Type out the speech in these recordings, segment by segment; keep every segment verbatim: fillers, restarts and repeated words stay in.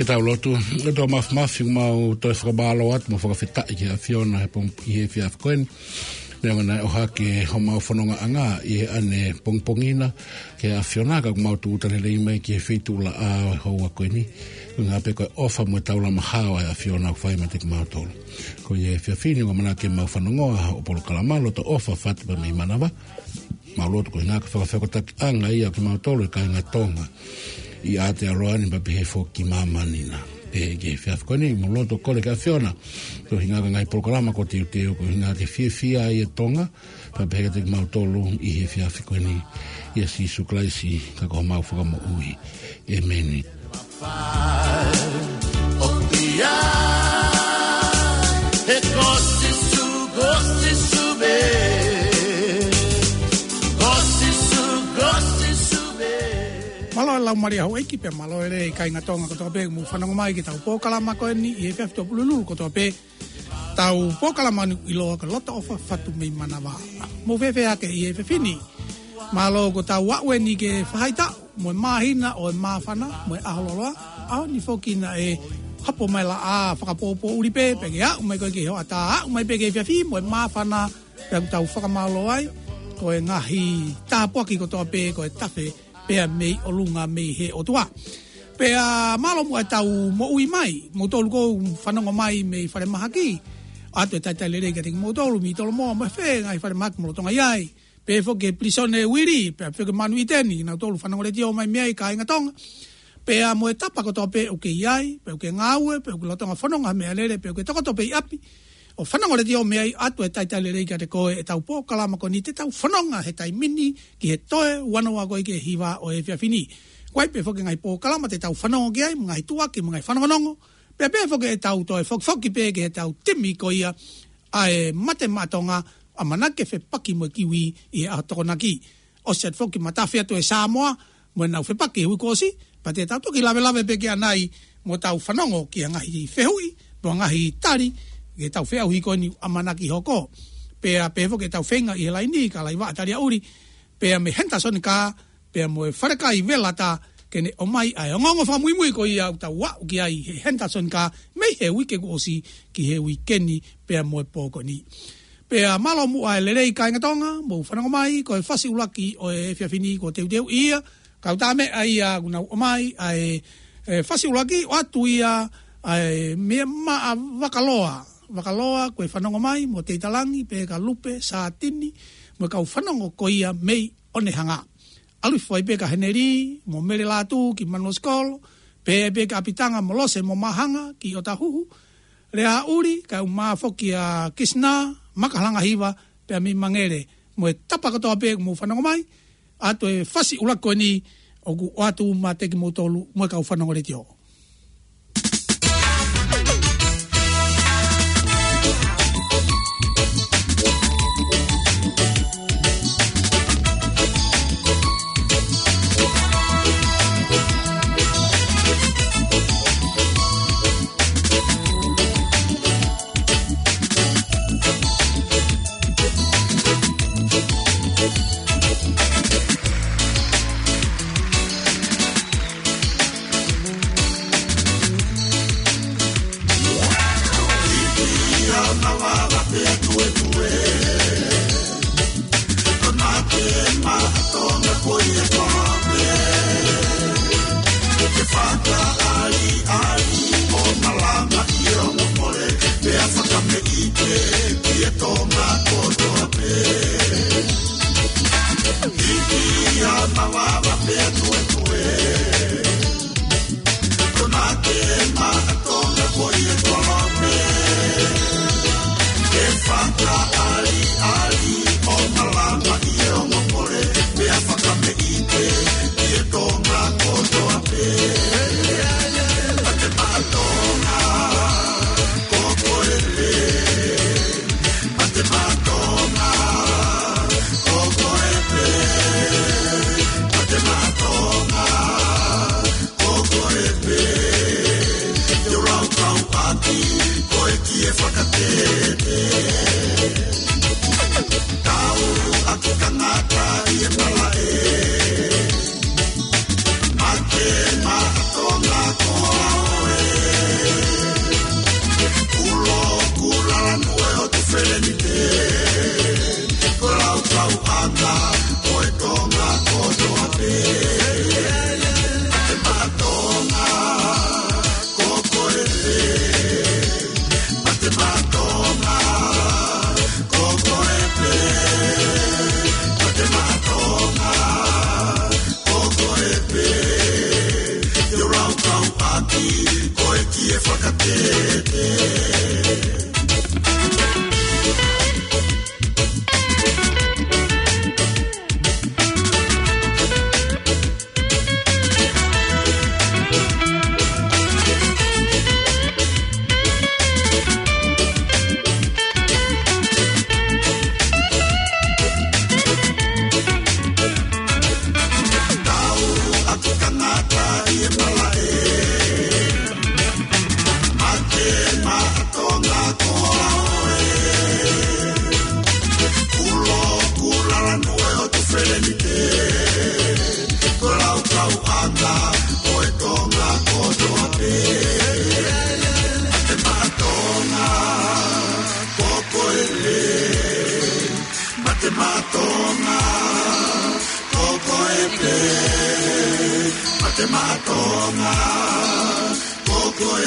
Tau lotu. ʻOtua Māfimafi, mau toe fakamālō atu mo fakafetaʻi ki he ʻAfiona he pong-, ʻi he efiafi ko eni. Neongo naʻe ʻohake homau fonongaʻanga ʻi he ʻanepongipongi na, ki he ʻAfiona, ka ʻoku mau tūʻuta lelei mai ki he feituʻulaʻā ʻo e houa ko eni. Ko e ʻuhinga pē ko e ʻofa mo e taulama hao ʻa e ʻAfiona ʻoku fai meiate kimautolu. Ko ia he efiafi ni, ʻoku ʻamanaki ke mau fanongoa hoʻo polokalama Loto ʻOfa Fatu pea mei Manava. Mau lotu ko e ʻuhinga ko e fakafehokotakiʻanga ia ʻo kimautolu e kāinga Tonga ʻi Aotearoa ni pea pehē foki ki māmani na. Pea ki he efiafi ko eni, mau lotu ʻo kole ki he ʻAfiona, ko e ʻuhinga ko e ngaahi polokalama kuo teuteu, ko e ʻuhinga ke fiefia ai e Tonga, pea pehē kiate kimautolu ʻi he efiafi ko eni, ʻia Sīsū Kalaisi, ka ko homau Fakamoʻui. ʻĒmeni. Mālō e laumālie houʻeiki pea mālō e lelei kāinga Tonga kotoa pē ʻoku mou fanongo mai ki heʻetau polokalama ko eni ʻi he efiafi Tuʻapulelulu kotoa pē. Tau polokalama ni ʻiloa ko e Loto ʻOfa Fatu mei Manava. Mou fēfē hake ʻi he efiafi ni? Mālō kuo tau aʻu eni ki he faʻahitaʻu mo e māhina ʻo e māfana mo e ʻaho lōloa. ʻAho ni foki naʻe hapo mai e laʻā fakapōpōʻuli pē, pea ke aʻu mai ko ē ki he hoʻatā, aʻu mai pē ki he efiafi mo e māfana, pea ʻoku tau fakamālō ai. Ko e ngaahi tāpuaki kotoa pē ko e tafe pea mei ʻolunga mei he ʻOtua. Pea mālō muʻa ʻetau moʻui mai, moutolu ʻoku fanongo mai mei falemahaki. ʻOatu e talitali lelei kiate kimoutolu mei Tolomoa mo e fē ngaahi falemahaki mou lolotonga ʻi ai. Pehē foki ki he pilīsone Uili, pea foki ki he Manu ʻĪteni, kinautolu fanongo letiō mai mei ai kāinga Tonga. Pea mo e tapa kotoa pē ʻoku ke ʻi ai, pe ʻoku ke ngāue, pe ʻoku ke lolotonga fononga ha meʻalele, pe ʻoku ke tokoto pē ʻi ʻapi ʻo fanongo letiō mei ai, ʻoatu e talitali lelei kiate koe ʻetau polokalama ko eni te tau fononga he taimi ni ki he toe ua noa ko ē ki he hiva ʻo e efiafi ni. ʻOku ʻi ai pē foki e ngaahi polokalama te tau fanongo ki ai, mo e ngaahi tuʻuaki, mo e ngaahi fanongonongo. Pea pehē foki ʻetau toe fokifoki pē ki heʻetau timi ko ia ʻa e Mate Maʻa Tonga, ʻamanaki ke fepaki mo e Kiwi ʻi he ʻaho Tokonaki. ʻOsi atu foki matafi atu e Sāmoa mo ʻenau fepaki he uike kuo ʻosi, pea te tau toki lavelave pē ki ai ʻanai mo tau fanongo ki he ngaahi fehuʻi mo e ngaahi tali ki heʻetau feʻauhi ko eni ʻoku ʻamanaki hoko. Pea pehē foki ʻetau feinga ʻi he laini, ka laiva ʻa Talia Uli, pea mei Henderson Car, pea mo e falekai Velata, ke ne ʻomai ʻa e ongoongo fakamuimui ko ia ʻoku tau aʻu ki ai he Henderson Car mei he uike kuo ʻosi ki he uike ni pea mo e pō ko eni. Pea mālō muʻa e lelei kāinga Tonga, mou fanongo mai, ko e fasi ʻuluaki ʻo e efiafi ni kuo teuteuʻi ia, kau tā meʻa ia kuo nau ʻomai ʻa e, e fasi ʻuluaki, ʻoatu ia ʻa e meʻa maʻa Vakaloa. Vakaloa, ko e fanongo mai, mo Teitalangi, pea ka Lupe, Sātini, mo e kau fanongo ko ia mei ʻOnehanga. ʻAlu hifo ai pē ka Heneli mo Mele Lātū ki Manuosikolo, pea pē ka ʻApitanga mo Lose mo Māhanga ki ʻOtahuhu, Leaʻuli, kae ʻumaʻā foki ʻa Kisina, Makahalangahiva, pea mei Mangele, mo e tapa kotoa pē ʻoku mou fanongo mai, ʻoatu e fasi ʻuluaki ko eni ʻoku ʻoatu meiate kimoutolu mo e kau fanongo letiō.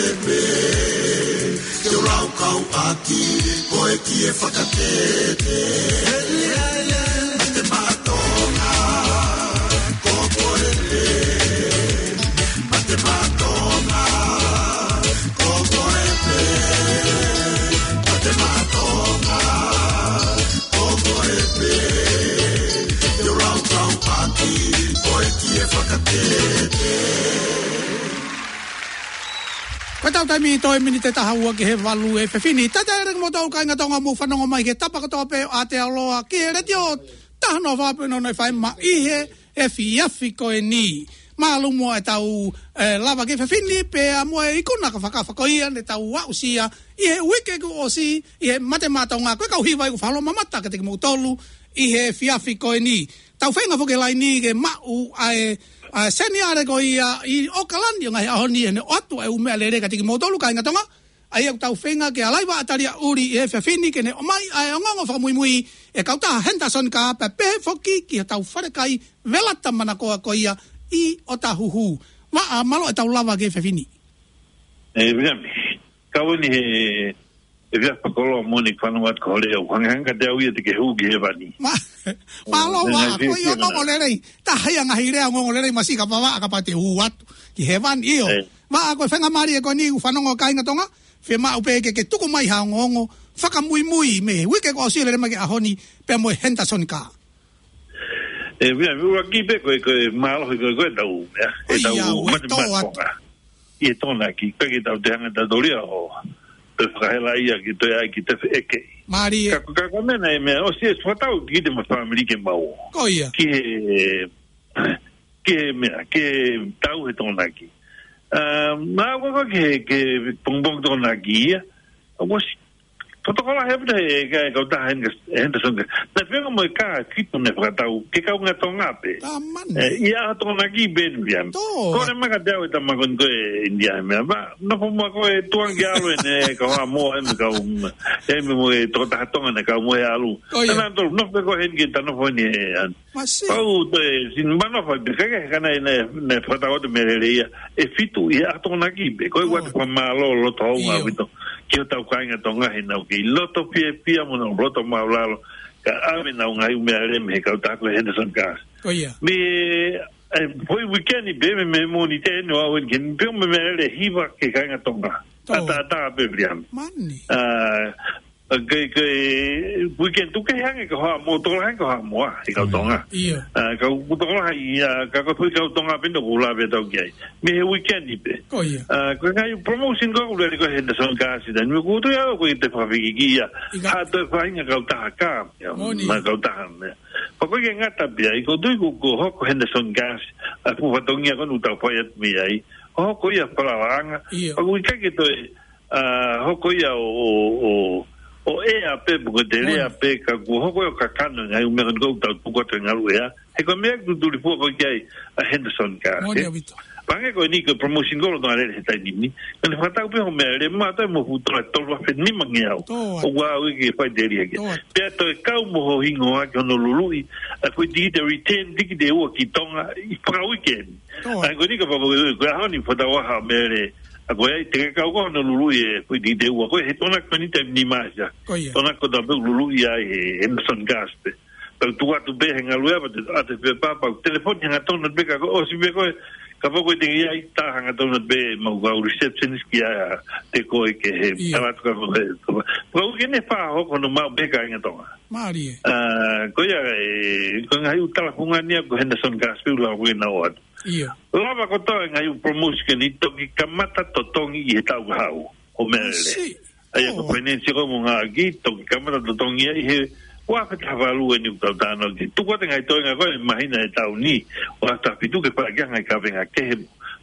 Te u laukau ʻaki, ko e kie fakatete. Te matonga, ko koe pē. Te matonga, ko koe pē. Te matonga, ko koe pē. Te u laukau ʻaki, ko e kie fakatete. Ko ʻetau taimi toe miniti ʻe taha ua ki he valu he efiafi ni. Talitali atu kimoutolu kāinga Tonga mou fanongo mai ki he tapa kotoa pē ʻo Aotearoa ki he letiō taha noa fā pē noa noa FM ʻi he efiafi ko eni. Mālō muʻa ʻetau, eh, lava ki he efiafi ni pea mo e ikuna ka fakafako ia ne tau aʻusia ʻi he uike kuo ʻosi ʻi he Mate Maʻa Tonga, ko e kau hiva ʻoku fakamamafa kiate kimoutolu ʻi he efiafi ko eni. Tau feinga foki he laini ke maʻu ʻa e, ʻa e seniale ko ia ʻi ʻAokalani ʻo e ngaahi ʻaho ni, ʻene ʻoatu ʻa e ʻū meʻalele kiate kimoutolu kāinga Tonga. ʻA ia ʻoku tau feinga ke ʻalu ʻo vaʻa tali ʻuli ʻi he efiafi ni ke ne ʻomai ʻa e ongoongo fakamuimui ʻa e kautaha Henderson Car pea pehē foki ki hotau falekai Velata Manakoa ko ia ʻi ʻŌtāhuhu. Vaʻa, mālō ʻetau lava ki he efiafi ni. ʻE, Viliami, kau ni he, he efiafi fakakoloa moʻoni, fanongo atu ki hoʻo lea, hangehangē kiate au ia te ke hū ki hēvani. Ma-, mālō, ʻe, Vaʻa, ngaahi ko ia fiefia ongoongo lelei. Taha ia ngaahi lea ongoongo lelei masiʻi kapau Vaʻa kapau te u hū atu ki hēvani, ʻio. ʻE. Vaʻa, ko e faingamālie ko eni ʻoku fanongo kāinga Tonga, fiemaʻu pē ke, ke tuku mai ha ongoongo fakamuimui mei he uike kuo ʻosi, lele mai ki he ʻaho ni, pea mo e Henderson Car. ʻE, Viliami, ʻuluaki pē ko e, ko e mālohi ko e, ko e tau, ia, ʻe tau ia, ʻoku mate tō atu. Maʻa Tonga. ʻI he Tokonaki, ʻikai ke tau toe hanga ʻe tautolu ia ʻo toe fakahelaʻia ke toe ʻai ke toe feʻekeʻi. Mālie. Ka, ka, ka ko e meʻa naʻe meʻa, ʻosi ʻe fakatau ki te ma fāmili ke mau. Ko ia. Ki he, ki he meʻa, ki he tau he Tokonaki. ʻA, ma ko ko ke, ke pongipongi Tokonaki ia. ʻOsi, tokolahi ʻaupito he, he kautaha Hen-, Henderson Car. Naʻe feinga mo e kā ʻe fitu naʻe fakatau, ke kaungā Tonga pē. Tāmani. ʻE, ʻi he ʻaho Tokonaki pē ni, Viliami. Tō. Kole mai kiate au e tama ko eni ko e ʻInitia he meʻa. Ma, nofo muʻa koe tuʻunga ke ʻalu eni, kau Haʻamoa eni, kau, ʻe, mo e tokotaha Tonga naʻe kau mo e ʻalu. Ko ia. Naʻa nau tolu, nofo pē koe heni ke ta nofo heni he, an. Masiʻi. Pau te, sin mano fai pē, ka ke, ka naʻe, naʻe, naʻe fakatau atu e meʻalele ia ʻe fitu ʻi he ʻaho Tokonaki pē, ko e ʻoatu e fakamālō loto houngaʻia ʻaupito ki hotau kāinga Tonga he naʻa nau kei loto fiefia mo nau loto māʻulalo, ka ʻave ʻenau ngaahi ʻū meʻalele mei he kautaha ko e Henderson Car. Ko ia. Mei, ʻe, foʻi uike ni pē mei, mei Mōnite eni ʻo aʻu eni ki heni pē mo e meʻalele ʻe hiva ki he kāinga Tonga. Tō. ʻAtā, ʻatā pē, Viliami. Māni. ʻA, ʻa, ke, ke, weekend tuku kehe ange kau Haʻamoa, tokolahi ange kau Haʻamoa, ʻi he kau Tonga. ʻIo. ʻA, kau tokolahi, ʻa, ka ko e foʻi kau Tonga pē eni ʻoku lave atu ki ai. Mei he weekend pē. Ko ia. ʻA, ko e ngaahi promotion ko ē ʻoku lele ko ē Henderson Car ʻi he taimi ni, ʻoku ou tui au ko e te fakafekiki ia. ʻIkai. Ha toe faʻahinga kautaha kā, ia, moʻoni. Ma kautaha meʻa. Pea ʻoku ʻikai ke ngata pē ai, ʻoku ou tui ko, ko e hoko Henderson Car, ʻa e fuʻu fatongia ko ē ʻoku tau fai atu mei ai. Hoko ia falalaʻanga. ʻIo. Pea ʻoku ʻikai ke toe ʻa, hoko ia ʻo, ʻo, ʻo, ʻo ʻea pē, pe ko e telea pē, ka kuo hoko ia ʻo kakano e ngaahi ʻū meʻa ko eni ʻoku tau tuku atu he ngaluʻea. He ko e meʻa ʻoku tuli fua ko ē ki ai ʻa Henderson Car. Moʻoni ʻaupito. Pea hangē ko eni ko e promotion ko ē ʻoku tau lele he taimi ni. Ka ne fakatau pē hoʻo meʻalele maʻa toe mo e fuʻu tola ʻe tolu afe nima ngeau. Tō atu. ʻOku ʻaʻau ke fai telia ki ai. Tō atu. Pea toe kau mo hoʻo hingoa ki hono luluʻi ʻa e foʻi tikite return, tikite ua ki Tonga, ʻi he fakauike ni. Tō atu. ʻA ia ko eni kapau ko e, ko e ʻaho ni fakatau ha meʻalele, ʻa ko ē te ke kau ko hono luluʻi e foʻi tikite ua, ko e he Tokonaki ko eni taimi ni Maʻasi. Ko ia. Tokonaki ko e taimi pē ʻoku luluʻi ai ʻe he Henderson Car pē. Pea tuku atu pē he ngaluʻea pea te ʻoatu e pepa, pea telefoni hangatonu pē ka kuo ʻosi pē ko ē, kapau ko e te ke ʻi ai, tā hangatonu pē mo e kau receptionist ki ai ʻa e te ko ē ke he. ʻIo. Tala atu ka ko e, pea ʻoku ʻikai ke ne faʻa hoko hono maʻu pē kāinga Tonga. Mālie. ʻA, ko ia, ʻe, ko e ngaahi ʻū tala fungani ia ko e Henderson Car pē ʻoku lava ko ē ʻenau ʻoatu. ʻIo. Lava kotoa e ngaahi ʻū promotion ko eni toki kamata totongi ʻi he taʻu kahaʻu ʻo meʻalele. Masiʻi. ʻA ia ko e finance ko ē mo e ngaahi, toki kamata totongi ia ʻi he ua afe taha valu eni ʻoku tau talanoa ki ai. Tuku atu e ngaahi toenga ko ē ʻi he māhina ʻe taha ni, ua afe taha fitu ke fai ki ai e ngaahi kavenga kehe,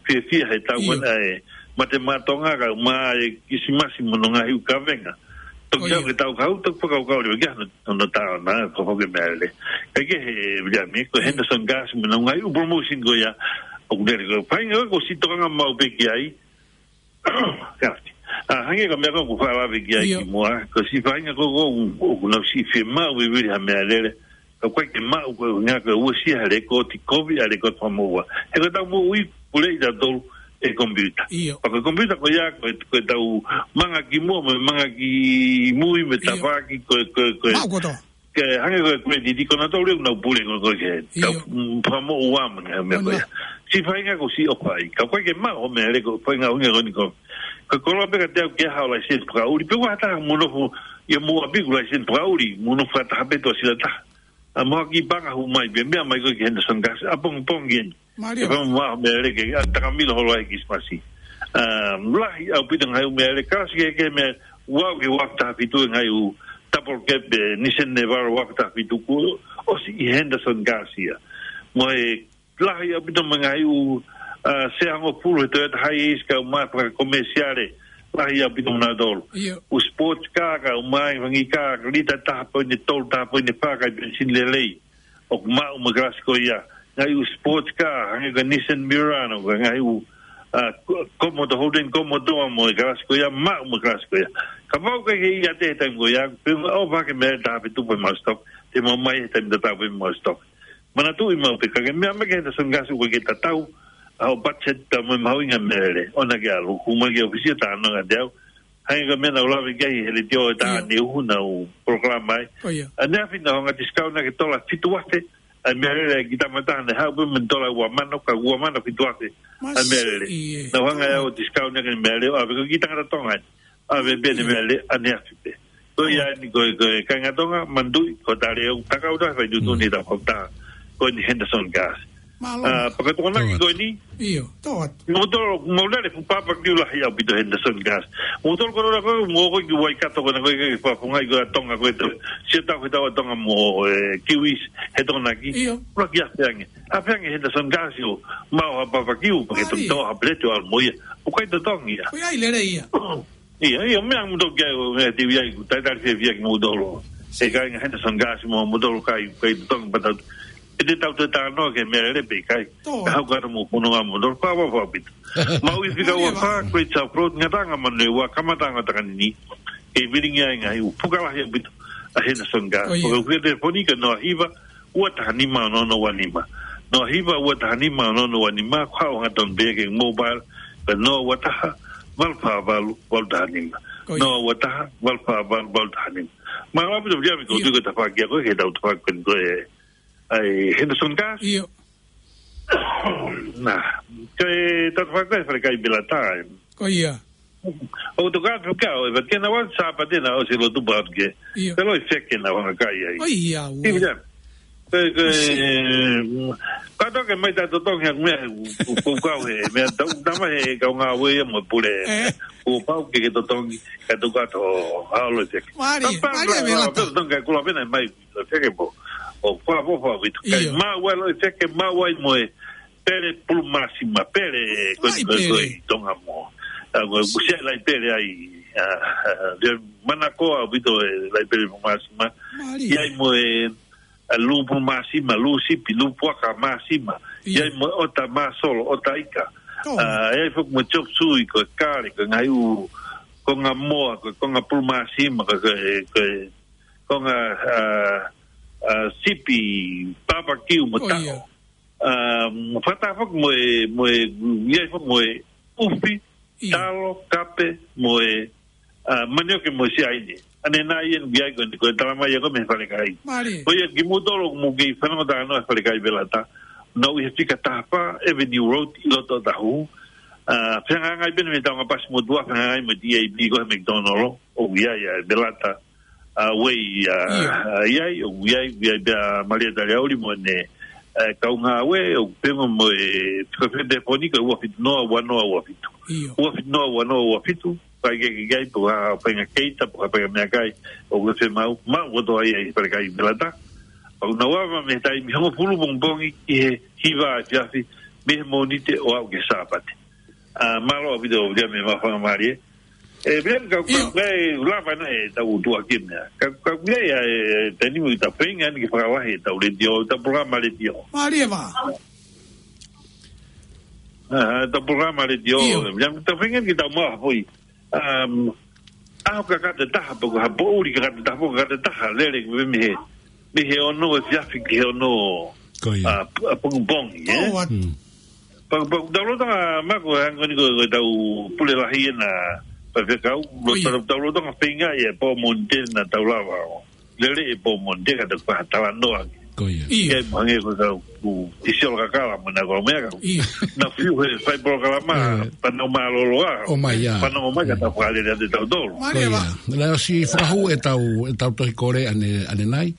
fiefia he taʻu ko ē ʻa e Mate Maʻa Tonga, kae ʻumaʻā e Kilisimasi mo hono ngaahi ʻū kavenga. Toki ʻalu ki he taʻu kahaʻu, toki fakakaukau leva ki ai hono, hono tā ʻo na, ko e hoko e meʻalele. Kae kehe, Viliami, ko e Henderson Car mo hono ngaahi ʻū promotion ko ia, ʻoku lele ko e faʻahinga ko ē ʻoku siʻi tokanga maʻu pē ki ai, Kāti. ʻA, hangē ko e meʻa ko ē ʻoku faʻa lave ki ai kimuʻa. Ko e siʻi faʻahinga ko ē ʻoku, ʻoku nau siʻi fiemaʻu vivili ha meʻalele. Ka ʻoku ʻikai ke maʻu ko e ngaahi ko e uesia ha lekooti kovi ʻa e lekooti fakamoʻua. He ko e tau moʻui pule ʻi tautolu. ʻe he komipiuta. ʻIo. Pea ko e komipiuta ko ia, ko e, ko e tau manga ki muʻa, mo e manga ki mui, mo e ʻIo. tafaʻaki, ko e, ko e, ko e, Maʻu kotoa. ke hangē ko e credit, ko nautolu ʻoku nau pule ko, ko ke. ʻIo. Ka, mm, fakamoʻua mo e meʻa ko Ona. ia. Siʻi faʻahinga ko siʻi ʻofa ai. Ka ko e ke maʻu hoʻo meʻalele ko e faʻahinga ʻuhinga ko eni ko. Ka koloa pē kiate au ke ʻalu ʻo laiseni fakaʻuli. Pe ʻoku ʻi ai ha taha mou nofo, ia mou ʻapiʻi ʻoku laiseni fakaʻuli, mou nofo fakataha pē ʻi tuʻasila taha. ʻA mo ha kiʻi paʻanga hū mai pē, meʻa mai ko ē ki he Henderson Gas, ʻapongipongi eni. Mālie. ʻE fai mo e meʻalele ke, ʻa takamilo holo ai Kilisimasi. ʻA, lahi ʻaupito e ngaahi ʻū meʻalele, kalasi kehekehe meʻa, ua ki he ua afe taha fitu e ngaahi ʻū double cab, ʻe, Nissan Navara ua afe taha fitu kuo ʻosi ʻi he Henderson Gas ia. Mo e lahi ʻaupito mo e ngaahi ʻū, ʻa, sea hongofulu he Toyota Hiace kae ʻumaʻā fakakomesiale, lahi ʻaupito mo nautolu. ʻIo. ʻŪ sports car kae ʻumaʻā e fanga car, lita taha poini tolu, taha poini fā, kae penisini lelei. ʻOku maʻu mo e kalasi ko ia. Ngaahi ʻū sports car, hangē ko e Nissan Murano, ko e ngaahi ʻū, ʻa, ko-, Commodore, Holden Commodore mo e kalasi ko ia, maʻu mo e kalasi ko ia. Kapau ʻoku ʻikai ke ʻiate he taimi ko ia, pe ʻofa ke meʻa taha fitu pē maʻu stock, te mau mai he taimi tatau pē maʻu stock. Manatuʻi maʻu pē ka ke meʻa mai ki he Henderson Gas ʻoku ʻikai ke tatau, ʻa hoʻo budget pea mo e mahuʻinga e meʻalele. ʻOua naʻa ke ʻalu, hū mai ki he ʻōfisi ʻo talanoa kiate au. Hangē ko e meʻa naʻá ku lave ki ai he letiō ʻi he taha ʻIo. ʻaneuhu naʻá ku polokalama ai. ʻIo. ʻAneafi naʻe ʻi ai ha ngaahi discount naʻe ki he tola fitu afe. ʻA e meʻalele ki he tama taha naʻe haʻu pē mei he tola ua mano, ka ua mano fitu afe. ʻA e meʻalele. Masiʻi ē. Naʻá ku hanga ʻe au ʻo discount ʻaki e meʻalele, ʻave ko e kiʻi tangata Tonga eni. ʻAve pē ʻene meʻalele ʻaneafi pē. Ko ia eni ko e, ko e kāinga Tōʻonga, manatuʻi, ko e tali ʻo e takautaha fai tuʻutuʻuni ʻi he tafaʻaki ko eni Henderson Gas. Mālō. ʻA, pea ko e tokonaki ko eni. ʻIo, tō atu. Moutolu, mou lele fuʻu pāpakiu lahi ʻaupito Henderson Gas. Moutolu ko e lele ko, mou ō ki Waikato ko ena ko e ke fakafungai ko e ʻa Tonga ko e tō. Siʻa tau he tau ʻa Tonga mo e kiwis he tokonaki. ʻIo. Ula ki ʻafe ange. ʻAfe ange Henderson Gas ʻo maʻu ha pāpakiu, pea ke tō ha peleti ʻo ʻalu mo ia. ʻOku ʻikai totongi ia. ʻOku ʻi ai lele ia. ʻIo, ʻio, meʻa mo toki ai, ʻo meʻa te u ʻai, ʻoku talitali fiefia kimoutolu. ʻE kāinga Henderson Gas mo moutolu kai, kai totongi patau. ʻE te tau te talanoa ki he meʻalele pe ʻikai. Tō. Ka hau kata mo puno a moutolu, pā, pā, pā, pito. Mau ʻi fika ua fā, Great South Road, Ngataʻanga Manurewa, kamataʻanga ʻo Takanini. Ke vilingi ai ngaahi ʻū puka lahi ʻaupito ʻa Henderson Gas. ʻIo. Pea ko e telefoni ko e noa hiva, ua taha nima ono ono ua nima. Noa hiva, ua taha nima ono ono ua nima, ko e hangatonu pē ki he mobile, ko e noa ua taha, valu fā valu, valu taha nima. ʻIo. Noa ua taha, valu fā valu, valu taha nima. Mālō ʻaupito Viliami, ko e ʻIo. tuʻu ko e tafaʻaki ko ē, ke tau tafaʻaki ko ē, ʻa e Henderson Gas. ʻIo. Nā, ko e tafaʻaki ko ē, falekai Belata. Ko ia. ʻOku tokanga atu kia ʻo e, pea ke na ua Sāpate na ʻosi lotu pē atu ke. ʻIo. Pea loi feke na ua ngaahi kai ai. ʻIo, ua. ʻIo, ia. Ko e, ko e, Masiʻi. Kātoa ke mai ta totongi ha meʻa, ko, ko, ko e kau he, meʻa tau, tama he kau ngāue ia mo e pule. ʻE. Kuo pau ke ke totongi, ka toka to, ha loi feke. Mālie, Papa, mālie, la, la, Belata. Totongi ka kula pena mai, loi feke pō. ʻO kua pō pō ʻaupito. Kai ʻIo. Maʻu ai loi feke, maʻu ai mo e pele pulu māsima, pele, ko, Laʻi ko, ko, pele. ʻi Tonga mo. ʻA, ko, ko Masiʻi. Siʻa laʻi pele ai, ʻa, ʻa, ʻa, manakoa ʻaupito e laʻi pele pulu māsima. Mālie. ʻI ai mo e, ʻa, lū pulu māsima, lū sipi, lū puaka māsima. ʻIo. ʻI ai mo e ʻota māsolo, ʻota ika. Tō. ʻA, ʻi ai foki mo e chop suey, ko e kale, ko e ngaahi ʻū, konga moa, ko e konga pulu māsima, ko e, ko e, ko e konga, ʻa, ʻa, sipi, pāpakiu mo Ko ia. taʻo. ʻA, mo fata foki mo e, mo e, ʻi ai foki mo e ʻufi, ʻIo. talo, kape, mo e, ʻa, manioke mo e siaine. ʻAnenai eni ʻoku ʻi ai ko eni, ko e talamai ia ko ē mei he falekai. Mālie. Ko ia kimoutolu ʻoku mou kei fanongo talanoa he falekai Belata. Naʻa nau ʻi he fika taha fā Avenue Road ʻi loto ʻo Otahuhu. ʻA, fehangahangai pē eni mei he taonga pasi motuʻa, fehangahangai mo e T A B ko ē he McDonald. ʻOku ʻi ai ʻa e Belata. ʻA, Way, ʻa, ʻIo. ʻa, ʻi ai, ʻoku ʻi ai, ʻoku ʻi ai pē ʻa Malia Taliauli mo ʻene, ʻa, kau ngāue, ʻoku pehē mo e, ko e telefoni ko e ua fitu noa ua noa ua fitu. ʻIo. Ua fitu noa ua noa ua fitu, fai ke, ke, ke, pe ko ha faʻahinga keita, pe ko ha faʻahinga meʻakai, ʻoku fiemaʻu, maʻu kotoa ia ʻi he falekai Belata. ʻOku nau ava mei he taimi hongofulu pongipongi ki he hiva efiafi, mei he Mōnite ʻo aʻu ki he Sāpate. ʻA, mālō ʻaupito, Viliami, mo e faingamālie. ʻE, Viliami, ka, ka, ʻIo. ka, e, lava naʻe tau tuʻa ki he meʻa. Ka, ka, ʻi ai, ʻa e, taimi ʻoku tau feinga eni ke fakalahi ʻetau letiō, ʻetau polokalama letiō. Mālie ē. ʻA, ʻetau polokalama letiō, ʻIo. Viliami, tau feinga eni ke tau maʻu ha foʻi. Um, ʻaho kakato ʻe taha, pe ko ha poʻuli kakato ʻe taha, pe ko e kakato ʻe taha, lele, mei he, mei he ono efiafi ki he ono, Ko ia. ʻa, p-, ʻa, pongipongi, ē? Tō atu. Hmm. Pea, pea, tau lolotonga, Mako, hangē ko eni ko, ko ʻetau pule lahi ʻena faifekau, ʻIo. Tau, tau lolotonga feinga ia ʻe pō Mōnite naʻa tau lava ʻo lele ʻe pō Mōnite ka tau faʻa talanoa. Ko ia. ʻIo. Ke hangē ko ʻetau, ku, ʻi Siolo Kakala mo naʻa ku meʻa ka. ʻIo. Naʻa fiu he fai polokalama, ʻIo. Fanongo mālōlō ā. ʻOmai ā. Fanongo mai ka tau fakalele atu ʻe tautolu. Mālie Ko ia. Vā. Naʻe ʻosi fakahū ʻetau, ʻetau tohi kole ʻane, ʻanenai.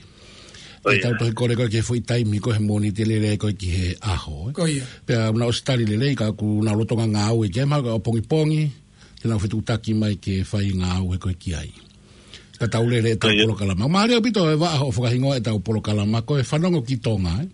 Ko ia. ʻEtau tohi kole ko ē ki he foʻi taimi ko ē he Mōnite lele ko ē ki he ʻaho, ē. Ko ia. Pea naʻa ku ʻosi tali lelei ka ʻoku nau lolotonga ngāue ki ai mahalo ka ʻapongipongi, te nau fetuʻutaki mai ke fai ngāue ko ē ki ai. Ka tau lele ʻetau Ko ia. polokalama. Mālie ʻaupito ʻe Vaʻa hoʻo fakahingoa ʻetau polokalama ko e Fanongo ki Tonga, ē.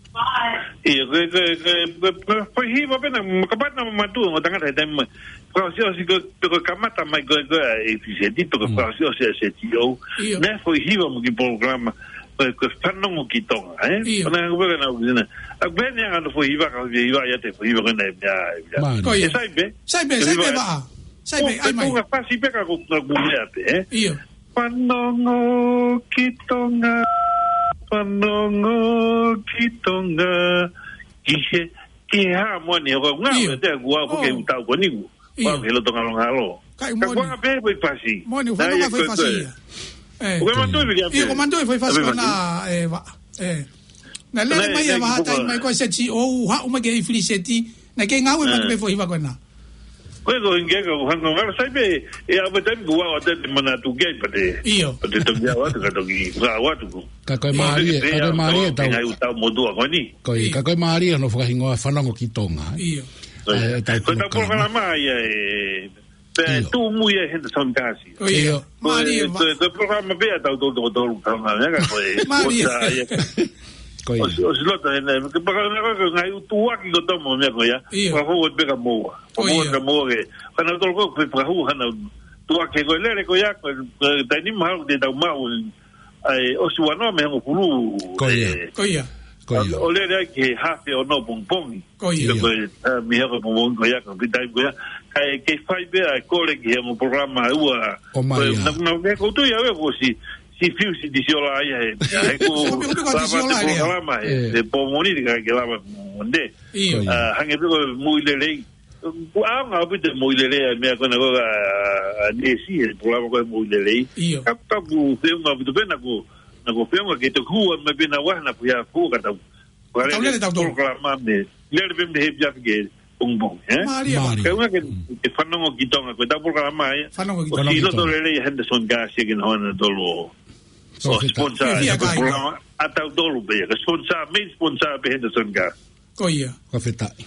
ʻIo, ko e, ko e, ko e, ko e, ko e foʻi hiva pē naʻe, kapau naʻe mamaʻo ʻa e tangata he taimi mai. Fakaʻosiʻosi ko, ko e kamata mai ko e, ko e ʻa e F Z, pe ko e Mm. fakaʻosiʻosi ʻa e Z O. ʻIo. Naʻe foʻi hiva mo e kiʻi polokalama, ko e, ko e Fanongo ki Tonga, ē? ʻIo. ʻO naʻe hangē pē ko ʻena ʻuhinga. ʻA, pehē ni ʻa e foʻi hiva, ka foʻi hiva ia te foʻi hiva ko ʻena ia, ia. Mālie. Ko ia. ʻE sai pē? Sai pē, Ko e sai hiva pē ē. Vaʻa. Sai pē, ʻOku ʻai mai. Ko e ngaahi fasi pē ka ko, ka ko e meʻa pē, ē? ʻIo. Fanongo ki Tonga, fanongo ki Tonga, ki he, ki he hā moʻoni, ʻoku ngā ʻIo. ʻoku te kua ʻoku ke ʻOu. ʻUtau ko eni ku. ʻIo. Kua ke loto ngalo ngalo. Kai Ka moʻoni. kua ngā pē foʻi fasi. Moʻoni, Naʻe fanongo ia foʻi ko e fasi ko e. ia. ʻE. ʻOku ke manatuʻi pē kia ʻIo, pē. ʻoku ou manatuʻi foʻi fasi Naʻe ko ʻena, fasi. ʻe, Vaʻa. ʻE. Naʻe lele Naʻe, mai ia naʻe Vaʻa kiʻi taimi puka. mai ko e Z O, haʻu mai ki he F Z, naʻe kei ngāue mai ʻE. ki he foʻi hiva ko ʻena. Ko e ko hingeka ko hanga ngalo sai pē, ʻe ʻave taimi ko ʻau ʻa te manatu ki ai pea te. ʻIo. Pea te toki ʻau atu ka toki ʻau atu ko. Ka ko e Ko mālie, e ka ko e au mālie tau tau. Ngaahi ʻutau motuʻa ko eni. Ko ia, ʻIo. ka ko e mālie hono fakahingoa Fanongo ki Tonga, ē. ʻIo. Ko ia. ʻA e, ʻa e Ko e tau polokalama. polokalama ia ē. Pea ʻIo. tuʻu mo ia ʻe Henderson Kasi. Ko ia. ʻIo. Ko e, Mālie ko e, Vaʻa. ko e polokalama pē ʻa tautolu toko tolu ka ngā meʻa ka ko e. Mālie. ʻOsi ia. Ko ia. ʻOsi, ʻosi loto hena, ke polokalama ko e ngaahi ʻutuʻaki ko tomo meʻa ko ia. ʻIo. Fakahū atu pē kia moua. Ko Fakahū ia. atu kia moua ke. Ka nautolu ko e fakahū hana ʻutuʻaki ko e lele ko ia, ko e, ko e taimi mahalo te tau maʻu ʻa e ʻosi ua noa mei he hongofulu, Ko ia. ʻe, Ko ia. Ko ia. ʻo lele ai ki he hafe ʻo e pongipongi. Ko ia. Ko e, ʻa, mei he pongipongi ko ia, ko e pita ko ia. Kae kei fai pē ʻa e kole ki he ongo polokalama ua. ʻOmai Ko e, ia. naʻa, naʻa, naʻa, ko tu ia ʻe ko si, si fiu si tisi ola ia he. He ko Ko fiu, ko lava tisi ola te ia. polokalama he. ʻE. He pō Mōnite ka ke lava Mōnite. ʻIo. Ko ia. ʻA, hangē pē ko e moʻui lelei. Ko e ʻaonga ʻaupito e moʻui lelei ʻa e meʻa ko ena ko e, ʻa, ʻa Nesi, he polokalama ko e moʻui lelei. ʻIo. Ka, ka ʻoku feʻunga ʻaupito pē naʻa ku, naʻa ku feʻunga ke toki hū mai pē naua naʻa ku ia fua ka tau. Ka tau lele tautolu. Polokalama mei, lele pē mei he efiafi ki he pongipongi, ē? Mālie. Mālie. Ka unga ke, ke fanongo ki Tonga, ko ʻetau polokalama ia. Fanongo ki Tonga. ʻOsi Fanongo ki loto Tonga. lelei Henderson Kasi ke na hona tolo. Ko ʻo e feta. sponsor, Fia ia ko e kai. polokalama, ʻa tautolu pē, ko e sponsor, main sponsor pē Henderson Kasi. Ko ia. Fakafetaʻi.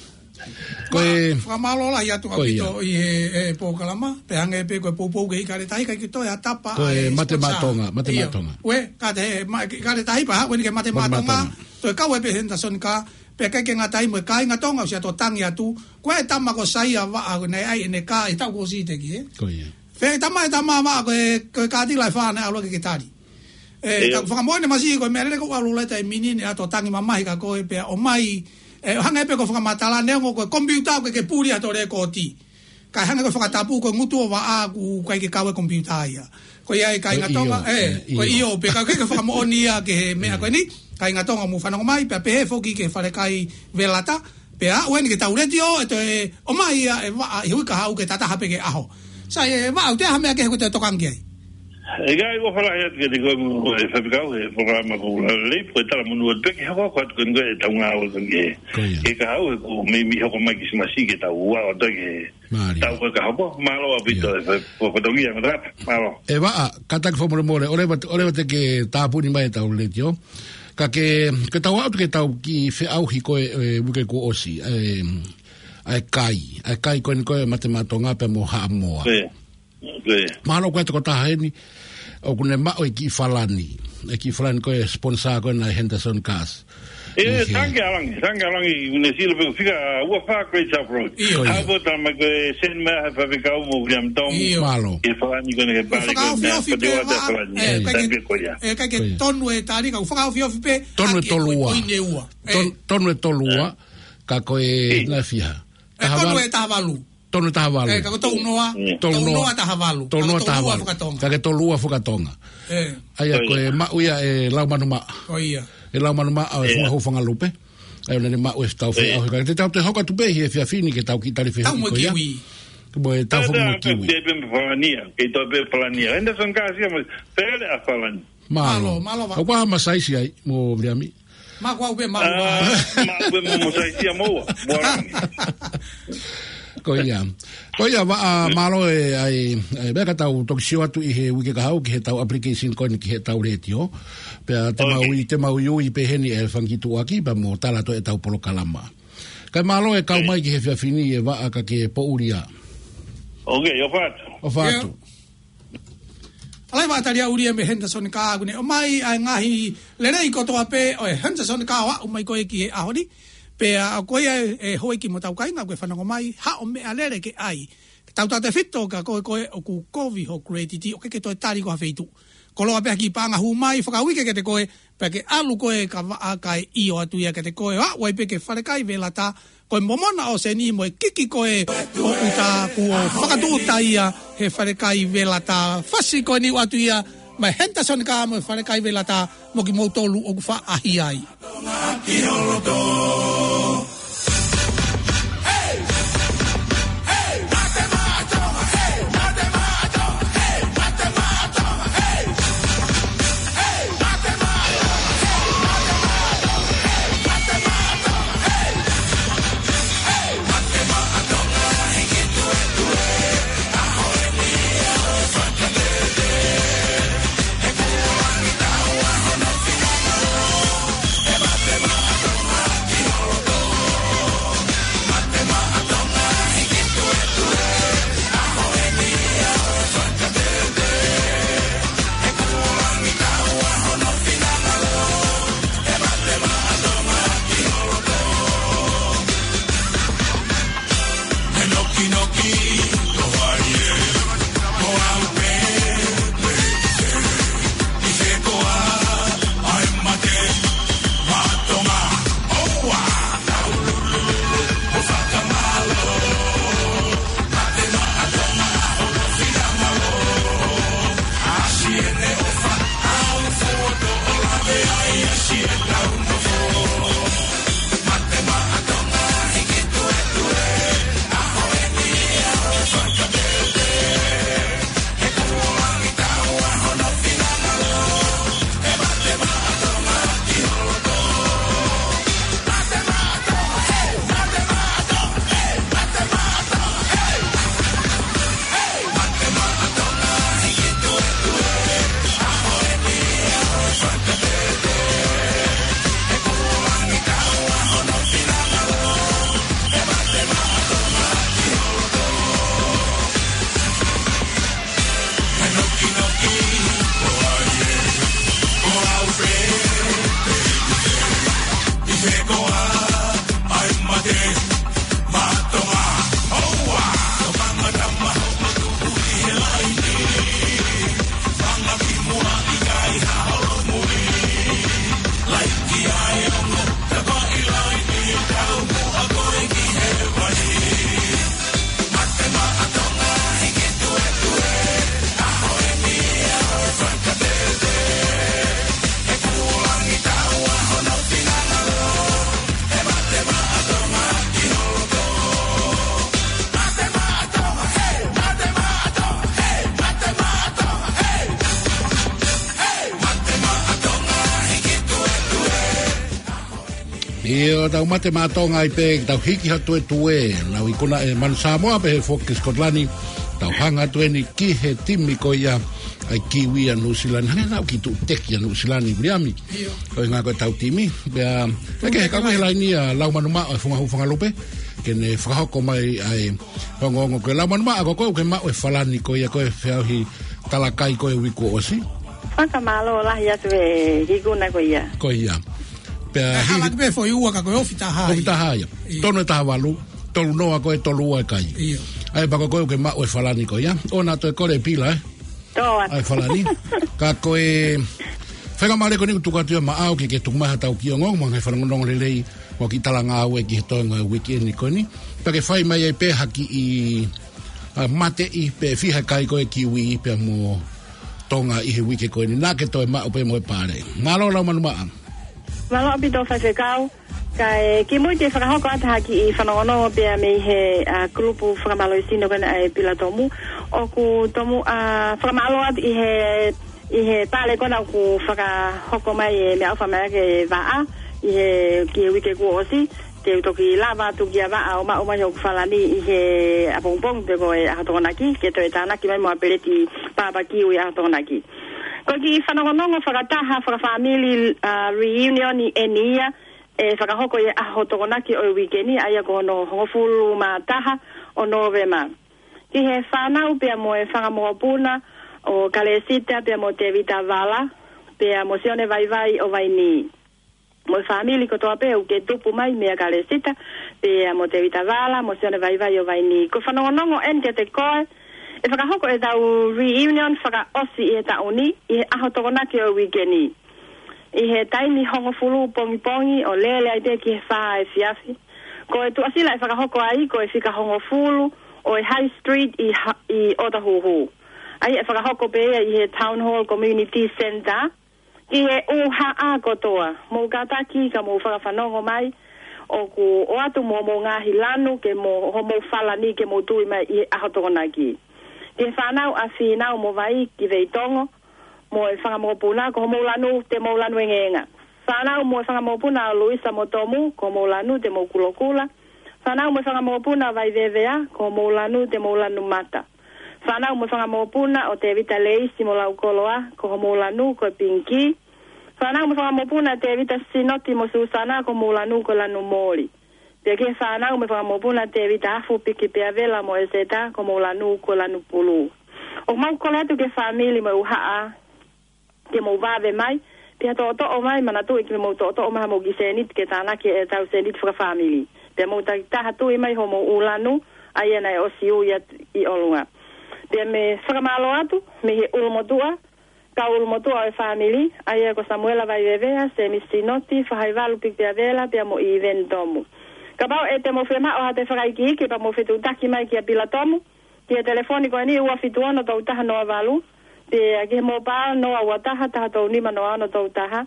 Ko e Fakamālō lahi atu Ko ia. ʻaupito ʻi he, he polokalama, pea hangē pē ko e poupou ki he ʻIkale Tahi, ʻikai ke toe ʻi ai ha tapa Ko e ʻa e Mate sponsor. Matonga, Mate ʻIo. Matonga. Ue, ka te he, ma-, ʻIkale Tahi pea haʻu eni ki he Mate Mate Matonga, Matonga. toe kau ai pē Henderson Kasi, pea ʻikai ke ngata ai mo e kāinga Tonga ʻosi ʻato tangi atu, ko e tama ko Saia Vaʻa, ko ʻene ʻai ʻene kā, ʻi he taʻu kuo ʻosi teʻeki, ē? Ko ia. Fē tama e tama Vaʻa ko e, ko e kātila ʻe fā naʻe ʻalu ʻo ke tali. ʻE, ʻIo. ka fakamoʻoni masiʻi ko e meʻa lele ko ʻalu leta e minini ʻato tangi mamahi ka ko e pea ʻomai, ʻe, hangē pē ko e fakamatala neongo ko e komipiuta ʻoku ke puli ʻato lēkooti. Ka hangē ko e fakatapu ko e ngutu ʻo Vaʻa ʻoku ʻikai ke kau e komipiuta ia. Ko ia e kāinga Ko e Tonga, ʻio, ʻe, ʻe, ko e ʻio. ʻio, pea ka ke fakamoʻoni ia ki he meʻa ko eni, kāinga Tonga mou fanongo mai, pea pehē foki ki he falekai Velata, Pea aʻu eni ki heʻetau letiō, ʻe toe ʻomai ia ʻe Vaʻa ʻi he uike kahaʻu ke tataha pē ki he ʻaho. Sai ʻe Vaʻa, ʻoku ʻi ai ha meʻa kehe ʻoku ke toe tokanga ki ai? ʻIkai, ʻoku ou ʻofa lahi atu kiate koe mo e faifekau he polokalama ko e lelei, ko e talamonū atu pē ke hoko atu ko e ngaahi ʻetau ngāue ko eni. Ko ia. Ki he kahaʻu he ko e meimei hoko mai Kilisimasi ke tau ua o toe ke Mālie. tau ko e kahaʻu. Mālō ʻaupito Ia. ʻe fa-, fa-, fatongia ngata. Mālō. ʻE Vaʻa, kātaki fakamolemole, ʻoua leva, ʻoua leva te ke tāpuni mai ʻetau letiō. Ka ke, ke tau aʻu ki heʻetau kiʻi feʻauhi ko ē, ʻe, uike kuo ʻosi, ʻe, ʻa e kai, ʻa e kai ko eni ko e Mate Matonga pea mo Haʻamoa. Ko ia. Ko ia. Mahalo ko e tokotaha eni, ʻoku ne maʻu e kiʻi falani, e kiʻi falani ko e sponsor ko ena ʻa e Henderson Cars. ʻE, ʻIo. Tangi ʻalangi, tangi ʻalangi, ne sila pē fika ua fā Great South Road. ʻIo. Ko ia. Hapo tama ko e send mai he faifekau mo William Tom. ʻIo. Mālō. Ke falani ko ena ke Ko e pale ko ena, fakaofiofi pē pate ua te Vaʻa, falani. ʻe, ʻIkai ke, Tangi ko ia. ʻe, ʻikai ke Ko ia. tonu e tali ka ʻoku fakaofiofi pē Tonu e ʻaki e tolu ua. ko e ine ua. ʻE. Ton-, tonu e tolu ua, ʻE. ka ko e ʻIo. naʻe fiha. ʻE, Taha tonu valu. e taha valu. Tonu e taha valu. ʻE, ka ko e tolu noa. ʻIo. Tolu noa. Tolu noa taha valu. Tolu noa Ka ko e taha valu. Ka ko e tolu ua fuka Tonga. ʻE. ʻA ia Ko ko e ia. maʻu ia ʻe Laumanumaʻa. Ko ia. ʻE Laumanumaʻa ʻo e ʻIo. Funga Houfangalupe. ʻA ia ʻoku ne maʻu e tau fai ʻaho he kakai. Te tau toe hoko atu pē he efiafi ni ke tau kiʻi tali fehālaaki ko ia. Tau mo e kiwi. Ko e tau fai mo e kiwi. Te pē Falania, ke tau pē Falania. Henderson Kasia mo Pele ʻa Falani. Mālō. Mālō, mālō, va. ʻOku ʻi ai hama saisi ai, mo Viliami? Mālō, ʻoku pē mālō, va. Mālō, pē mo, mo saisi ia mo ua, mo Langi. Ko ia. Ko ia, va, ʻa, mālō e, ʻa e, ʻa e, meʻa ka tau toki sio atu ʻi he uike kahaʻu ki he tau application ko eni ki he tau letiō. Pea te mau ui, te mau ui pē heni e fanga kiʻi tuʻuaki, pea mo tala atu e tau polokalama. Kae mālō e kau mai ki he efiafi ni e vaʻa ka ke poʻuli ā. ʻOku ʻofa atu. ʻOfa atu. ʻAlā, vaʻa tali ʻuli ia mei Henderson Kaa, ʻoku ne ʻomai ʻa e ngaahi lelei kotoa pē ʻo e Henderson Kaa ʻo aʻu mai ko ē ki he ʻaho ni. Pea ko ia e, e houʻeiki mo e tau kāinga ʻoku ke fanongo mai, haʻo meʻalele ke ʻai. Ke tau tautefito ka ko e, ko e ʻoku kovi ho credit ʻo ke ke toe tali ko ha feituʻu. Koloa pē ha kiʻi paʻanga hū mai, fakauike kiate koe, pea ke ʻalu koe ka vaʻa kae ʻio atu ia kiate koe, ʻo aʻu ai pē ki he falekai velata, ko e momona ʻo e seni mo e kiki ko ē ʻo ʻuta kuo fakatūʻuta ia he falekai velata. Fasi ko eni ʻoatu ia, mei Henderson Kaa mo e falekai velata, mo kimoutolu ʻoku faʻa ʻaʻahi ai. ʻIo, tau Mate Maʻa Tonga ai pē, tau hiki ha tuetue, nau ikuna ʻe Manu Samoa pē he foki Scotland, tau hanga atu eni ki he timi ko ia ʻa e Kiwi ʻa Nuʻu Sila ni, hangē naʻa ʻoku kiʻi tuʻu teki ʻa Nuʻu Sila ni, Viliami. ʻIo. Ko e ngaahi ko e tau timi, pea, ʻe ke he kau mai he laini ʻa Laumanu Maʻa ʻo e Funga Hū Fanga Lupe, ke ne fakahoko mai ʻa e ongoongo ko ē. Laumanu Maʻa, ko koe ʻoku ke maʻu e falani ko ia ko e feʻauhi talakai ko e uike kuo ʻosi. Fakamālō lahi atu e ikuna ko ia. Ko ia. Pea ʻe hili- hala ki pē foʻi ua ka ko e ofi taha ia. Ofi taha ia. ʻIo. Tonu e taha valu, tolu noa ko e tolu ua e kai. ʻIo. ʻA ia pea ko koe ʻoku ke maʻu e falani ko ia. ʻOua naʻa toe kole e pila, ē? Tō atu. ʻA e falani. Ka ko e faingamālie ko eni ʻoku tuku atu ia maʻau ke ke tuku mai ha tau kiʻi ongoongo mo e ngaahi fanongonongo lelei mo e kiʻi talangāue ki he toenga e uike ni ko eni. Pea ke fai mai ai pē ha kiʻi, ʻa, mateʻi pe fiha e kai ko e Kiwi pea mo Tonga ʻi he uike ko eni. Naʻa ke toe maʻu pē mo e pale. Mālō Laumanu Maʻa. Mālō ʻaupito Faifekau. Kae kimuʻa ke fakahoko atu ha kiʻi fanongonongo pea mei he, ā, kulupu fakamālohisino ko ena ʻa e Pilatomu. ʻOku tomuʻa fakamālō atu ʻi he, ʻi he pale ko ena ʻoku fakahoko mai e meʻaʻofa mai ʻaki e vaʻa ʻi he, ki he uike kuo ʻosi. Te u toki lava atu kia Vaʻa ʻo maʻu mai hoku falani ʻi he ʻapongipongi pe ko e ʻaho Tokonaki, ke toe tānaki mai mo ha peleti papakiu ʻi he ʻaho Tokonaki. Ko e kiʻi fanongonongo fakataha fakafāmili, ā, reunion ʻeni ia, ʻe fakahoko ʻi he ʻaho Tokonaki ʻo e uike ni, ʻa ia ko hono hongofulu mā taha ʻo Nōvema. Ki he fānau pea mo e fanga mokopuna ʻo Kalesita pea mo Tevita Vala, pea mo Sione Vaivai ʻo Vainī. Mo e fāmili kotoa pē ʻoku ke tupu mai meia Kalesita, pea mo Tevita Vala, mo Sione Vaivai ʻo Vainī. Ko e fanongonongo ʻeni kiate koe, ʻe fakahoko ʻetau reunion fakaʻosi ʻi he taʻu ni, ʻi he ʻaho Tokonaki ʻo e uike ni. ʻI he taimi hongofulu pongipongi ʻo lele ai pē ki he fā efiafi. Ko e tuʻasila ʻe fakahoko ai, ko e fika hongofulu ʻo e High Street ʻi ha-, ʻi ʻOtahuhu. ʻA ia ʻe fakahoko pē ia ʻi he Town Hall Community Centre. Ki he ʻū haʻa kotoa, mou kātaki ka mou fakafanongo mai, ʻoku ʻoatu mo hoʻomou ngaahi lanu ke mo, hoʻomou falani ke mou tui mai ʻi he ʻaho Tokonaki. Ki he fānau ʻa Fīnau mo Vai ki Veitongo, mo e fanga mokopuna, ko hoʻomou lanu, te mou lanu engeenga. Fānau mo e fanga mokopuna ʻa Luisa mo Tomu, ko hoʻomou lanu, te mou kulokula. Fānau mo e fanga mokopuna ʻa Vaivevea, ko hoʻomou lanu, te mou lanu mata. Fānau mo e fanga mokopuna ʻo Tevita Leisi mo Laukoloa, ko hoʻomou lanu, ko e pingikī. Fānau mo e fanga mokopuna ʻa Tevita Sinoti mo Susana, ko hoʻomou lanu, ko e lanu moli. Pea ki he fānau mo e fanga mokopuna ʻa Tevita Afu, Piki Peavela mo ʻEseta, ko hoʻomou lanu, ko e lanu pulū. ʻOku mau kole atu ki he fāmili mo e ʻū haʻa, ke mou vave mai, pea toʻotoʻo mai, manatuʻi ke mou toʻotoʻo mai haʻamou kiʻi sēniti ke tānaki ʻetau sēniti fakafāmili. Pea mou takitaha tui mai hoʻomou ʻū lanu, ʻa ia naʻe ʻosi ui atu ʻi ʻolunga. Pea mou fakamālō atu, mei he ʻulumotuʻa, kau ʻulumotuʻa ʻo e fāmili, ʻa ia ko Samuela Vaivevea, Semi Sinoti, Fahaivalu Piki Peavela, pea mo ʻIveni Tomu. Kapau ʻe te mou fiemaʻu haʻate fakaikiiki, pea mou fetuʻutaki mai kia Pila Tomu, ki he telefoni ko eni ua fitu ono tolu taha noa valu, pea ki he mobile noa ua taha taha tolu nima noa ono tolu taha,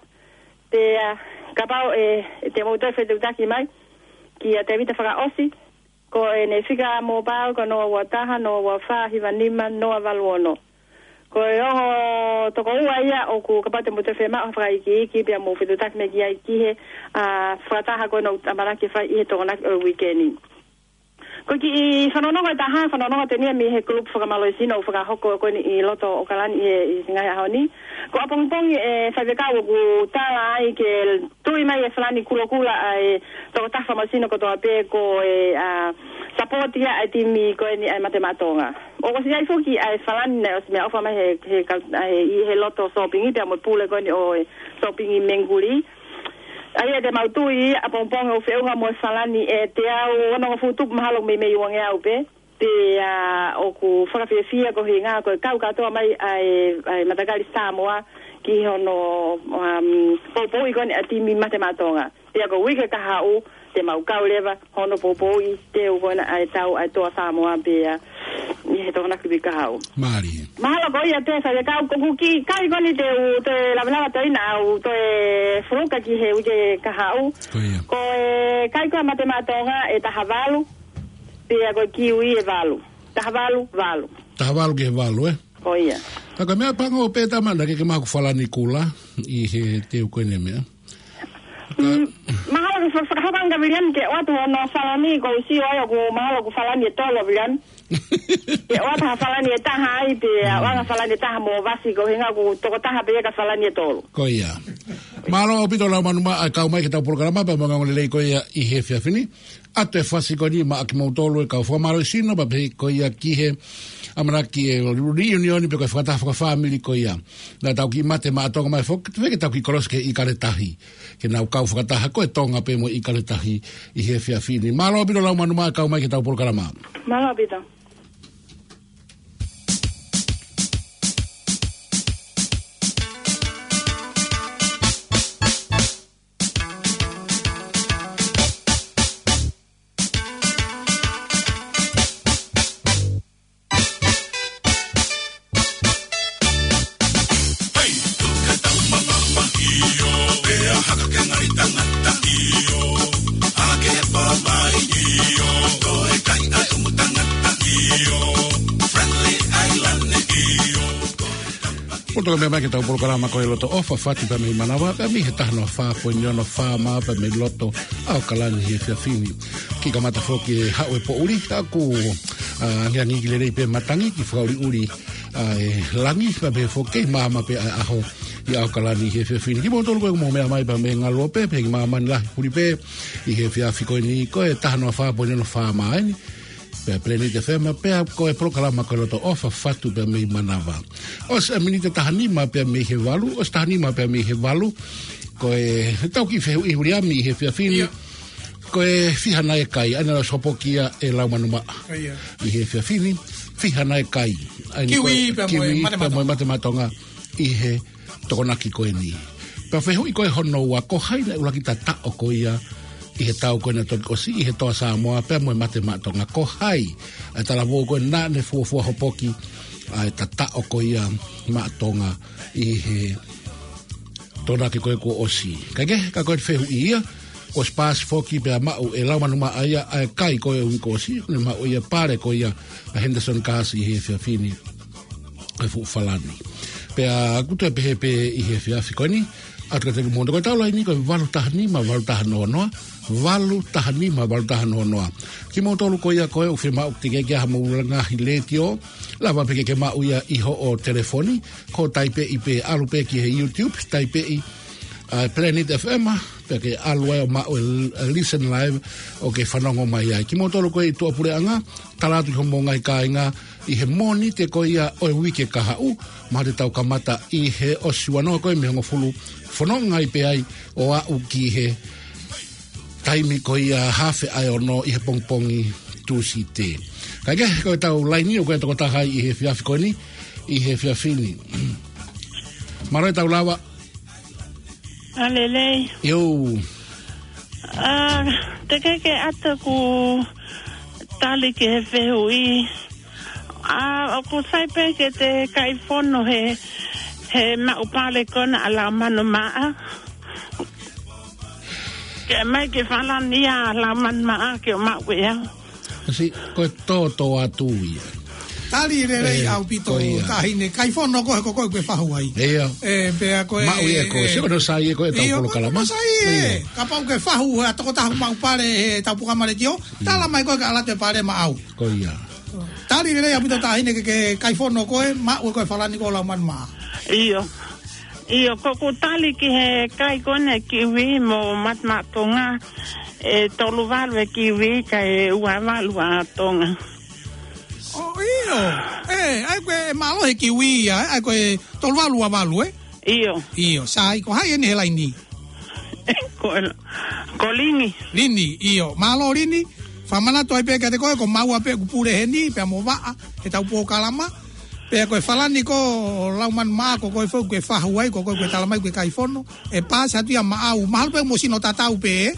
pea kapau ʻe, ʻe te mou toe fetuʻutaki mai kia Tevita fakaʻosi, ko ʻene fika mobile ko noa ua taha noa ua fā hiva nima noa valu ono. Ko e ongo tokoua ia ʻoku kapau te mou toe fiemaʻu ha fakaikiiki pea mou fetuʻutaki mai ki ai ki he, ā, fakataha ko ena ʻoku ʻamanaki fai ʻi he Tokonaki ʻo e uike ni. Ko e kiʻi fanongonongo ʻe taha, fanongonongo ʻeni ia mei he kulupu fakamālohisino ʻoku fakahoko ko eni ʻi loto ʻAokalani ʻi he, ʻi he ngaahi ʻaho ni. Ko ʻapongipongi ʻe faifekau ʻoku tala ai ke tui mai e falani kulokula ʻa e tokotaha fakamālohisino kotoa pē ko e, ā, sapoti ia ʻa e timi ko eni ʻa e Mate Maʻa Tonga. ʻOku ʻosi ʻi ai foki ʻa e falani naʻe ʻosi meʻaʻofa mai he, he kau-, ʻa e, ʻi he loto sōpingi pea mo e pule ko eni ʻo e sōpingi Menguli. ʻA ia te mau tui ʻapongipongi ʻoku feʻunga mo e falani ʻe teau onongofulu tupu mahalo meimei uangeau pē. Pea ʻoku fakafiefia ko e ʻuhinga ko e kau kātoa mai ʻa e, ʻa e matakali Samoa ki hono, um, poupouʻi ko eni ʻa e timi Mate Maʻa Tonga. Pea ko e uike kahaʻu, te mau kau leva hono poupouʻi teu ko ena ʻa e tau ʻa e toa Samoa pea ʻi he Tokonaki uike kahaʻu. Mālie. Mahalo ko ia pē faifekau, ko ʻeku kiʻi kai ko eni te u toe lavelava toe ʻi ai ʻa e toe fuluka ki he uike kahaʻu. Ko ia. Ko e kai ko ē ʻa Mate Maʻa Tonga ʻe taha valu, pea ko e kiwi ʻe valu. Taha valu, valu. Taha valu ki he valu, ē? Ko ia. Ka ko e meʻa pango pē tama naʻa ke, ke maʻu haku falani kula ʻi he teu ko eni meʻa. Mm, mahalo ke fa-, fakahoko ange Viliami ke ʻoatu hono falani, ko e sio ai ʻoku mahalo ʻoku falani ʻe tolu Viliami. Ke ʻoatu ha falani ʻe taha ai pē, ʻoatu ha falani ʻe taha mo Vasi ko e ʻuhinga ʻoku tokotaha pē ia ka falani ʻe tolu. Ko ia. Mālō ʻaupito Laumānumaʻa kau mai ki heʻetau polokalama pea mo e ongoongolelei ko ia ʻi he efiafi ni. ʻA e fasi ko eni maʻa kimoutolu e kau fakamālohisino, pea pehē ko ia ki he ʻamanaki e reunion pe ko e fakataha fakafāmili ko ia. Naʻa tau kiʻi Mate Maʻa Tonga mai foki, te ke tau kiʻi kolosi ki he ʻIkale Tahi. Ke nau kau fakataha ko e Tonga pē mo e ʻIkale Tahi ʻi he efiafi ni. Mālō ʻaupito Laumānumaʻa kau mai ki heʻetau polokalama. Mālō ʻaupito. Poto ka mea mai ke tau polokalama ko e Loto ʻOfa Fatu pea mei Manava, pea mei he taha noa fā poini ono FM pea mei loto ʻAokalani he efiafi ni. Kiʻi kamata foki e haʻu e poʻuli, ʻoku, ʻa, angiangi ki lelei pē matangi, kiʻi fakaʻuliʻuli, ʻa, e langi, pea mei foki kei maama pē ʻa e ʻaho ʻi ʻAokalani he efiafi ni. Kimoutolu ko ē ʻoku mou meʻa mai pea mei Galuope, pea kiʻi maama ni lahi puli pē, ʻi he efiafi ko eni, ko e taha noa fā poini ono FM eni. Pea Planet FM, pea ko e polokalama ko e Loto ʻOfa Fatu pea mei Manava. ʻOsi e miniti taha nima pea mei he valu, ʻosi taha nima pea mei he valu. Ko e tau kiʻi fehuʻi Viliami ʻi he efiafi ni. Ia. Ko e fiha nai e kai, ʻa ena ʻosi hopoki ia e Laumanu-Maʻa. Ia. ʻI he efiafi ni, fiha nai e kai. ʻA ena ko e Kiwi pea mo e Kiwi pea mo e Mate Maʻa Tonga. Mate Maʻa Tonga. ʻI he Tokonaki ko eni. Pea fehuʻi ko e hono ua, ko hai naʻe ʻuluaki tataʻo ko ia ʻi he tau ko ena toki ʻosi ʻi he Toa Samoa pea mo e Mate Maʻa Tonga, ko hai? ʻA e talavou ko ena naʻe fuofua hopoki ʻa e tataʻo ko ia Maʻa Tonga ʻi he Tokonaki ko ē kuo ʻosi. Kae kehe, ka ko e fehuʻi ia, kuo ʻosi paasi foki pea maʻu e Laumanu-Maʻa ia ʻa e kai ko ē uike kuo ʻosi, ne maʻu ia pale ko ia ʻa Henderson Kasi ʻi he efiafi ni. Ko e fuʻu Falani. Pea ʻoku toe pehē pē ʻi he efiafi ko eni, ʻatu kiate kimoutolu ko e tau laini ko e valu taha nima, valu taha noa noa, valu taha nima, valu taha noa noa. Kimoutolu ko ia ko ē ʻoku fiemaʻu ke tekeʻi ke ʻi ai hamou ngaahi letiō, lava pē ke ke maʻu ia ʻi hoʻo telefoni, ko e taipeʻi pē, ʻalu pē ki he YouTube, taipeʻi, ʻa, Planet FM, pea ke ʻalu ai ʻo maʻu e l-, e listen live ʻo ke fanongo mai ai. Kimoutolu ko ē ʻi tuʻapuleʻanga, tala atu ki homou ngaahi kāinga ʻi he Mōnite ko ia ʻo e uike kahaʻu, mahalo te tau kamata ʻi he ʻosi ua noa ko ē mei he hongofulu, fononga ai pē ai ʻo aʻu ki he taimi ko ia hafe ʻa e ono ʻi he pongipongi Tūsite. Kae kehe, ko e tau laini ʻoku ʻi ai e tokotaha ʻi he efiafi ko eni, ʻi he efiafi ni. Mālō e tau lava. ʻA, lelei. ʻIo. ʻA, tekeʻi ke ʻatu ʻeku tali ki he fehuʻi. ʻA, ʻoku sai pē ke te kai fono he, he maʻu pale ko ena ʻa Laumanu-Maʻa. Ke mai ke Falani ʻa Laumanu-Maʻa ke maʻu ia. Kasi, ko e tōtōatu ia. Tali lelei ʻaupito, ko ia. Taʻahine, kai fono ko ē ko koe ʻoku ke fahu ai. ʻIo. Pea ko e maʻu ia ko e, sio ko e sai ia ko e tau polokalama. ʻIo, ko e sai ia. Kapau ʻoku ke fahu ʻa e tokotaha maʻu pale he tau polokalama letiō, tala mai ko ē ka ʻalu atu e pale maʻau. Ko ia. Tali lelei ʻaupito taʻahine ke, ke kai fono ko ē, maʻu ko ē Falani ko Laumanu-Maʻa. ʻIo. ʻIo, ko ʻeku tali ki he kai ko ena Kiwi mo Mate Maʻa Tonga, ʻe tolu valu e Kiwi kae ua valu ʻa Tonga. ʻIo, ʻe, ʻa ia ko e mālohi e Kiwi ia, ʻa ia ko e tolu valu ua valu, ē? ʻIo. ʻIo, sai, ko hai eni he laini? Ko, ko Lini. Lini, ʻio. Mālō Lini, fakamanatu ai pē kiate koe, ko maua pē ʻeku pule heni, pea mo Vaʻa, he tau polokalama. Pea ko e Falani ko Laumanu-Maʻa, ko koe foki ʻoku ke fahu ai, ko koe ʻoku ke tala mai ʻoku ke kai fono. ʻE paasi atu ia maʻau, mahalo pē mo sino tatau pē, ē?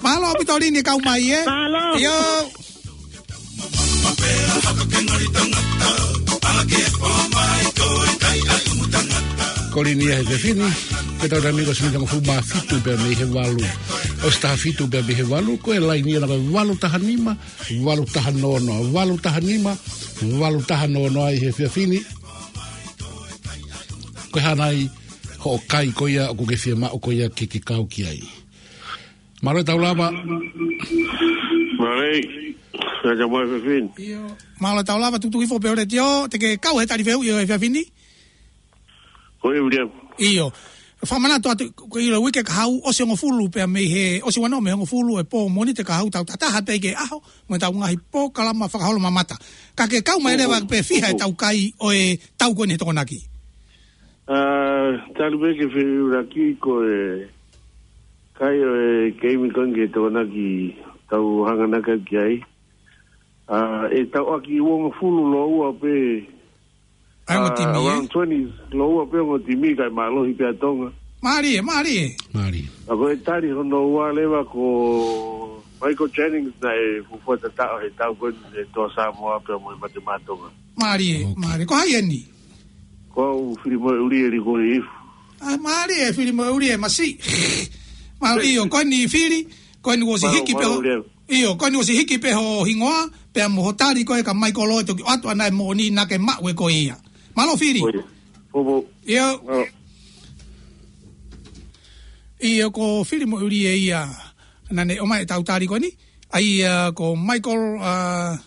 Mālō ʻaupito Lini kau mai, ē? Mālō. ʻIo. Ko Lini ia he efiafi ni, pea tau taimi ko e miniti hongofulu mā fitu pea mei he valu. ʻOsi taha fitu pea mei he valu, ko e laini ia ko e valu taha nima, valu taha noa noa, valu taha nima, valu taha noa noa ʻi he efiafi ni. Ko e hā nai hoʻo kai ko ia ʻoku ke fiemaʻu ko ia ke ke kau ki ai. Mālō e tau lava. Mālō. Ka ka mai fefin. ʻIo. Mālō e tau lava, tukutuku hifo pē ho letiō, te ke kau he tali fehuʻi ʻo e efiafi ni. Ko e William. ʻIo. Fakamanatu atu, ko e ʻilo uike kahaʻu, ʻosi hongofulu pea mei he, ʻosi ua noa mei he hongofulu e pō Mōnite kahaʻu, tau tataha pē ki he ʻaho, mo e tau ngaahi polokalama fakaholo mamata. Ka ke kau mai leva pē fiha e tau kai ʻo e tau ko eni he Tokonaki. ʻA, talu pē ke feʻulaki ko e kai ʻo e keimi ko eni ki he Tokonaki tau hanganaki ki ai. ʻA, ʻe tau ʻaki uongofulu lōua pē. ʻA e ongo timi, ʻe? Around twenty lōua pē ongo timi kae mālohi pē ʻa Tonga. Mālie, mālie. Mālie. ʻA ko e tali hono ua leva ko Michael Jennings naʻe fuofua tataʻo he tau ko eni he Toa Samoa pea mo e Mate Maʻa Tonga. Mālie, mālie. Ko hai eni? Ko au Fili Moeʻuli e liko i ifu. ʻA, mālie, Fili Moeʻuli e masi. Mālie, ʻio, ko eni Fili, ko eni ʻosi hiki pē ho, ʻio, ko eni ʻosi hiki pē ho hingoa, pea mo ho tali ko e ka Michael Loe toki ʻoatu ʻana e moʻoni naʻa ke maʻu ʻe koe ia. Mālō Fili. Oi. Fufu. ʻIo. Mālō. ʻIo ko Fili Moʻulie ia. Naʻa ne ʻomai ʻetau tali ko eni. ʻA ia ko Michael, uh,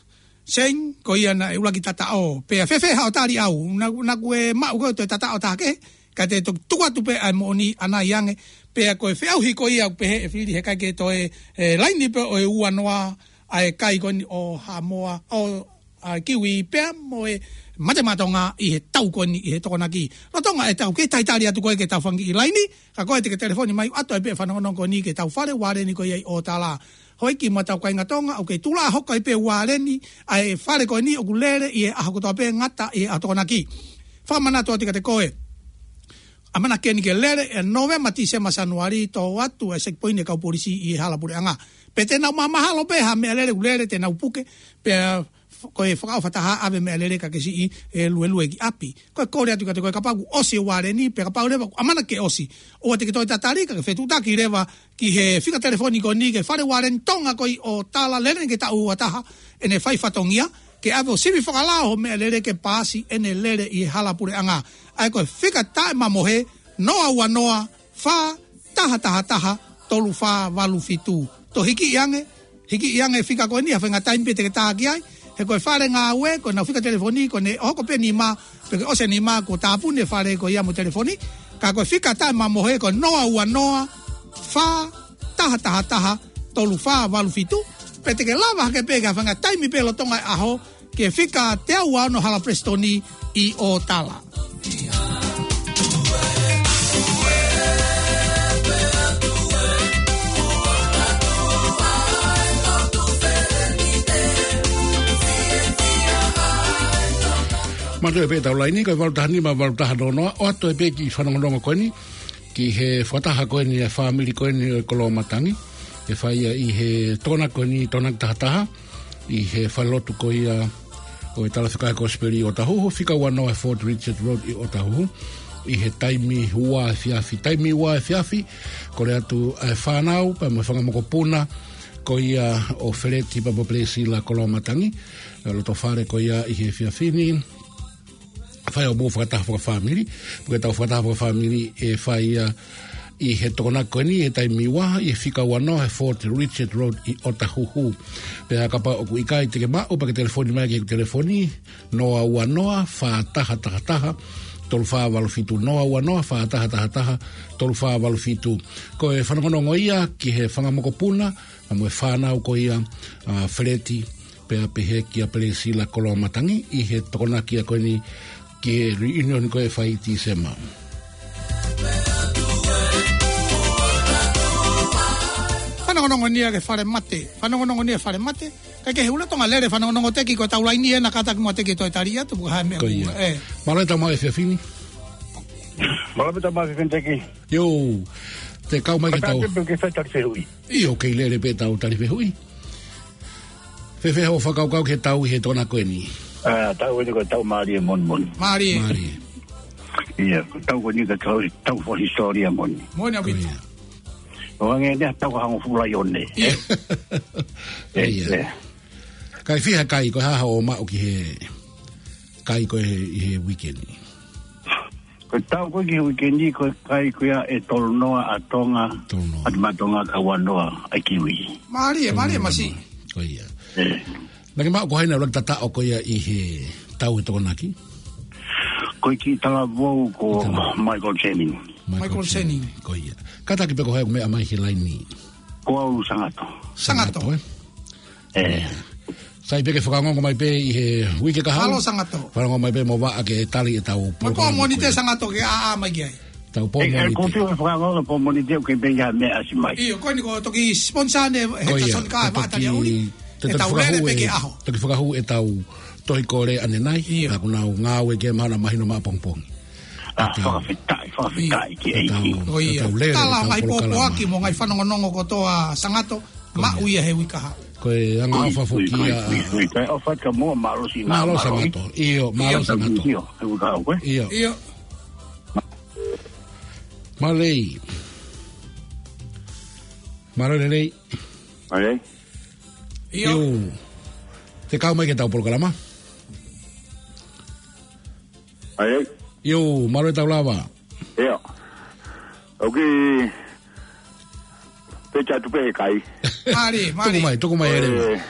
Shane, ko ia naʻe ʻuluaki tataʻo. Pea fēfē haʻo tali ʻau. Naʻa, naʻa ku ʻe maʻu ko e toe tataʻo taha kehe. Ka te toki tuku atu pē ʻa e moʻoni ʻanai ange. Pea ko e feʻauhi ko ia ʻoku pehē ʻe Fili he ʻikai ke toe, e, laini pē ʻo e ua noa ʻa e kai ko eni ʻo Haʻamoa, ʻo ʻa Kiwi pea mo e Mate Maʻa Tonga ʻi he tau ko eni ʻi he Tokonaki. Lolotonga ʻetau kei talitali atu ko ē ke tau fanga kiʻi laini, ka ko e te ke telefoni mai ʻo ʻoatu ai pē fanongonongo ko eni ki heʻetau fale ualeni ko ia ʻi ʻOtala. Houʻeiki mo ʻetau kāinga Tonga, ʻoku kei tuʻu hoko ai pē ualeni ʻa e fale ko eni ʻoku lele ʻi he ʻaho kotoa pē ngata ʻi he ʻaho Tokonaki. Fakamanatu atu kiate koe. ʻAmanaki eni ke lele ʻi Nōvema, Tīsema, Sānuali, toʻo atu e checkpoint e kau polisi ʻi he hala puleʻanga. Pea te nau mamahalo pē ha meʻalele ʻoku lele te nau puke, pea f-, ko e fakaʻofa taha ʻave meʻalele ka ke siʻi e luelue ki ʻapi. Ko e kole atu kiate koe kapau kuo ʻosi e ualeni, pea kapau leva kuo ʻamanaki ke ʻosi, ʻoua te ke toe tatali ka ke fetuʻutaki leva ki he fika telefoni ko eni ki he fale ualeni Tonga ko ē ʻi ʻOtala, lele eni ki he taʻu ua taha ʻene fai fatongia, ke ʻave ʻo sivi fakalao ho meʻalele ke paasi ʻene lele ʻi he hala puleʻanga. ʻA ia ko e fika taʻemamohe, noa ua noa, fā taha taha taha, tolu fā valu fitu. Toe hikiʻi ange, hikiʻi ange e fika ko eni, ha faʻahinga taimi pē te ke tā ki ai. He ko e fale ngāue, ko ʻenau fika telefoni, ko ʻene hoko pē nima, pe ko e ʻosi e nima, kuo tāpuni e fale ko ia mo e telefoni. Ka ko e fika taʻemamohe, ko e noa ua noa, fā taha taha taha, tolu fā valu fitu. Pea te ke lava hake pē ki ha faʻahinga taimi pē lolotonga e ʻaho, ki he fika teau ua ono Hala Prestoni ʻi ʻOtala. Mālō pē ʻetau laini, ko e valu taha nima, valu taha noa noa, ʻoatu ai pē kiʻi fanongonongo ko eni, ki he fakataha ko eni e fāmili ko eni ʻo e Koloamatangi, ʻe fai ia ʻi he Tokonaki ko eni, Tokonaki taha taha, ʻi he falelotu ko ia ʻo e Talafekau Kosipeli ʻi ʻOtahuhu, fika ua noa Fort Richard Road ʻi ʻOtahuhu, ʻi he taimi ua efiafi, taimi ua efiafi, kole atu e fānau, pea mo e fanga mokopuna, ko ia ʻo Feleti pea mo Pelesila Koloamatangi, ʻi loto fale ko ia ʻi he efiafi ni, fai hoʻomou fakataha fakafāmili, pea ko ʻetau fakataha fakafāmili ʻe fai ia ʻi he Tokonaki ko eni he taimi ua, ʻi he fika ua noa he Fort Richard Road ʻi ʻOtahuhu. Pea kapau ʻoku ʻikai te ke maʻu, pea ke telefoni mai ki he telefoni, noa ua noa, fā taha taha taha, tolu fā valu fitu, noa ua noa, fā taha taha taha, tolu fā valu fitu. Ko e fanongonongo ia ki he fanga mokopuna, pea mo e fānau ko ia, ʻa Feleti, pea pehē kia Pelesila Koloamatangi ʻi he Tokonaki ko eni ki he reunion ko ē ʻe fai ʻi Tīsema. Fanongonongo ni ia ki he fale mate. Fanongonongo ni ia fale mate. Kae kehe, lolotonga lele fanongonongo, Teki, ko ʻetau laini ena, kātaki muʻa Teki toe tali atu, puka ha meʻa. Ko ia. Ē. Mālō e tau maʻu e efiafi ni. Mālō e tau maʻu e efiafi ni, Teki. ʻIo. Te kau mai ke tau. Kātaki pē ke fai tali fehuʻi. ʻIo, kei lele pē ʻetau tali fehuʻi. Fēfē hoʻo fakakaukau ki he tau ʻi he Tokonaki ko eni? ʻA, tau eni ko e tau mālie moʻoni moʻoni. Mālie. Mālie. ʻIo, ko e tau ko eni ko e tau, tau fakahisitōlia moʻoni. Moʻoni ʻaupito. Ko ia. ʻO hangē eni ha tau hangofulu ʻi ʻOne. ʻIo. ʻIo. ʻIo. Kae fiha kai, ko e hā haʻo maʻu ki he kai ko ē ʻi he uike ni? Ko e tau ko ē ki he uike ni, ko e kai ko ia ʻe tolu noa ʻa Tonga, tolu noa. ʻA Mate Maʻa Tonga, ka ua noa ʻa Kiwi. Mālie, mālie, mālie masiʻi. Ko ia. Ē. Naʻa ke maʻu ko hai naʻe ʻuluaki tataʻo ko ia ʻi he tau ʻi he Tokonaki? Ko e kiʻi talavou ko Michael Channing. Michael Channing. Ko ia. Kātaki pē ko hai ʻoku meʻa mai he laini? Ko au Sangato. Sangato. Sangato, ē? Ē. Sai pē ke fakaongoongo mai pē ʻi he uike kahaʻu. Mālō Sangato. Fakaongoongo mai pē mo vaʻa ke tali ʻetau polokalama. Pō Mōnite Sangato ke ʻā mai ki ai. Tau pō Mōnite. Ē, ē, ko e fiha fakaongoongo pō Mōnite ʻoku kei pē ia meʻa ʻasi mai. ʻIo, ko eni ko e toki sponsor ʻeni he Ko ia, Tasoni ka e vaʻa tali auli. Te toki fakahū e, toki fakahū ʻetau tohi kole ʻanenai. ʻIo. Naʻa ku nau ngāue ki he mahalo mahino maʻapongipongi. ʻA, fakafetaʻi, fakafetaʻi ki he ʻEiki. Ko ia. Tala mai pōpoaki mo e ngaahi fanongonongo kotoa Sangato. Maʻu ia he uike kahaʻu. Ko e anga ʻofa foki ia. Kae ʻofa atu ka mo mālō Sangato. ʻIo, mālō Sangato. ʻIo, he uike kahaʻu, ē? ʻIo. ʻIo. Mālō. Mālō lelei. Mālō. ʻIo. Te kau mai ki heʻetau polokalama. Ai, ai. ʻIo, mālō e tau lava. ʻIo. ʻOku pē atu pē he kai. Mālie, mālie. Tuku mai, tuku mai, Helen. Eh,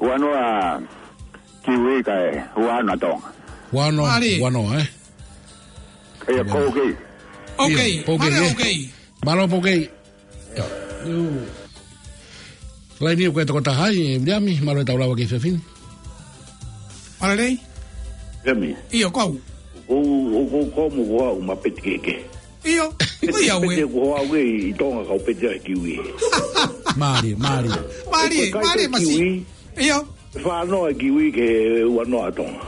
ua noa kiwi kae ua noa Tonga. Ua noa, mālie. Ua noa, eh? ʻIo, ko ʻokei. ʻOkei, ʻio, ʻokei, mālie, eh? ʻOkei. Mālō ʻokei. ʻIo. Laini ʻoku ʻi ai e tokotaha ai, ʻe Viliami, mālō e tau lava ki he efiafi ni. Mālō Lei. Viliami. ʻIo, ko au. ʻOku, ʻoku, ʻoku, ʻoku mo ko au ma peti kehekehe. ʻIo, ko ia ue. Peti ʻoku hoa ue ʻi Tonga kau peti ai kiwi. Mālie, mālie. Mālie, ko e kai mālie ko e masi. Kiwi. ʻIo. Fā noa kiwi ki he ua noa Tonga.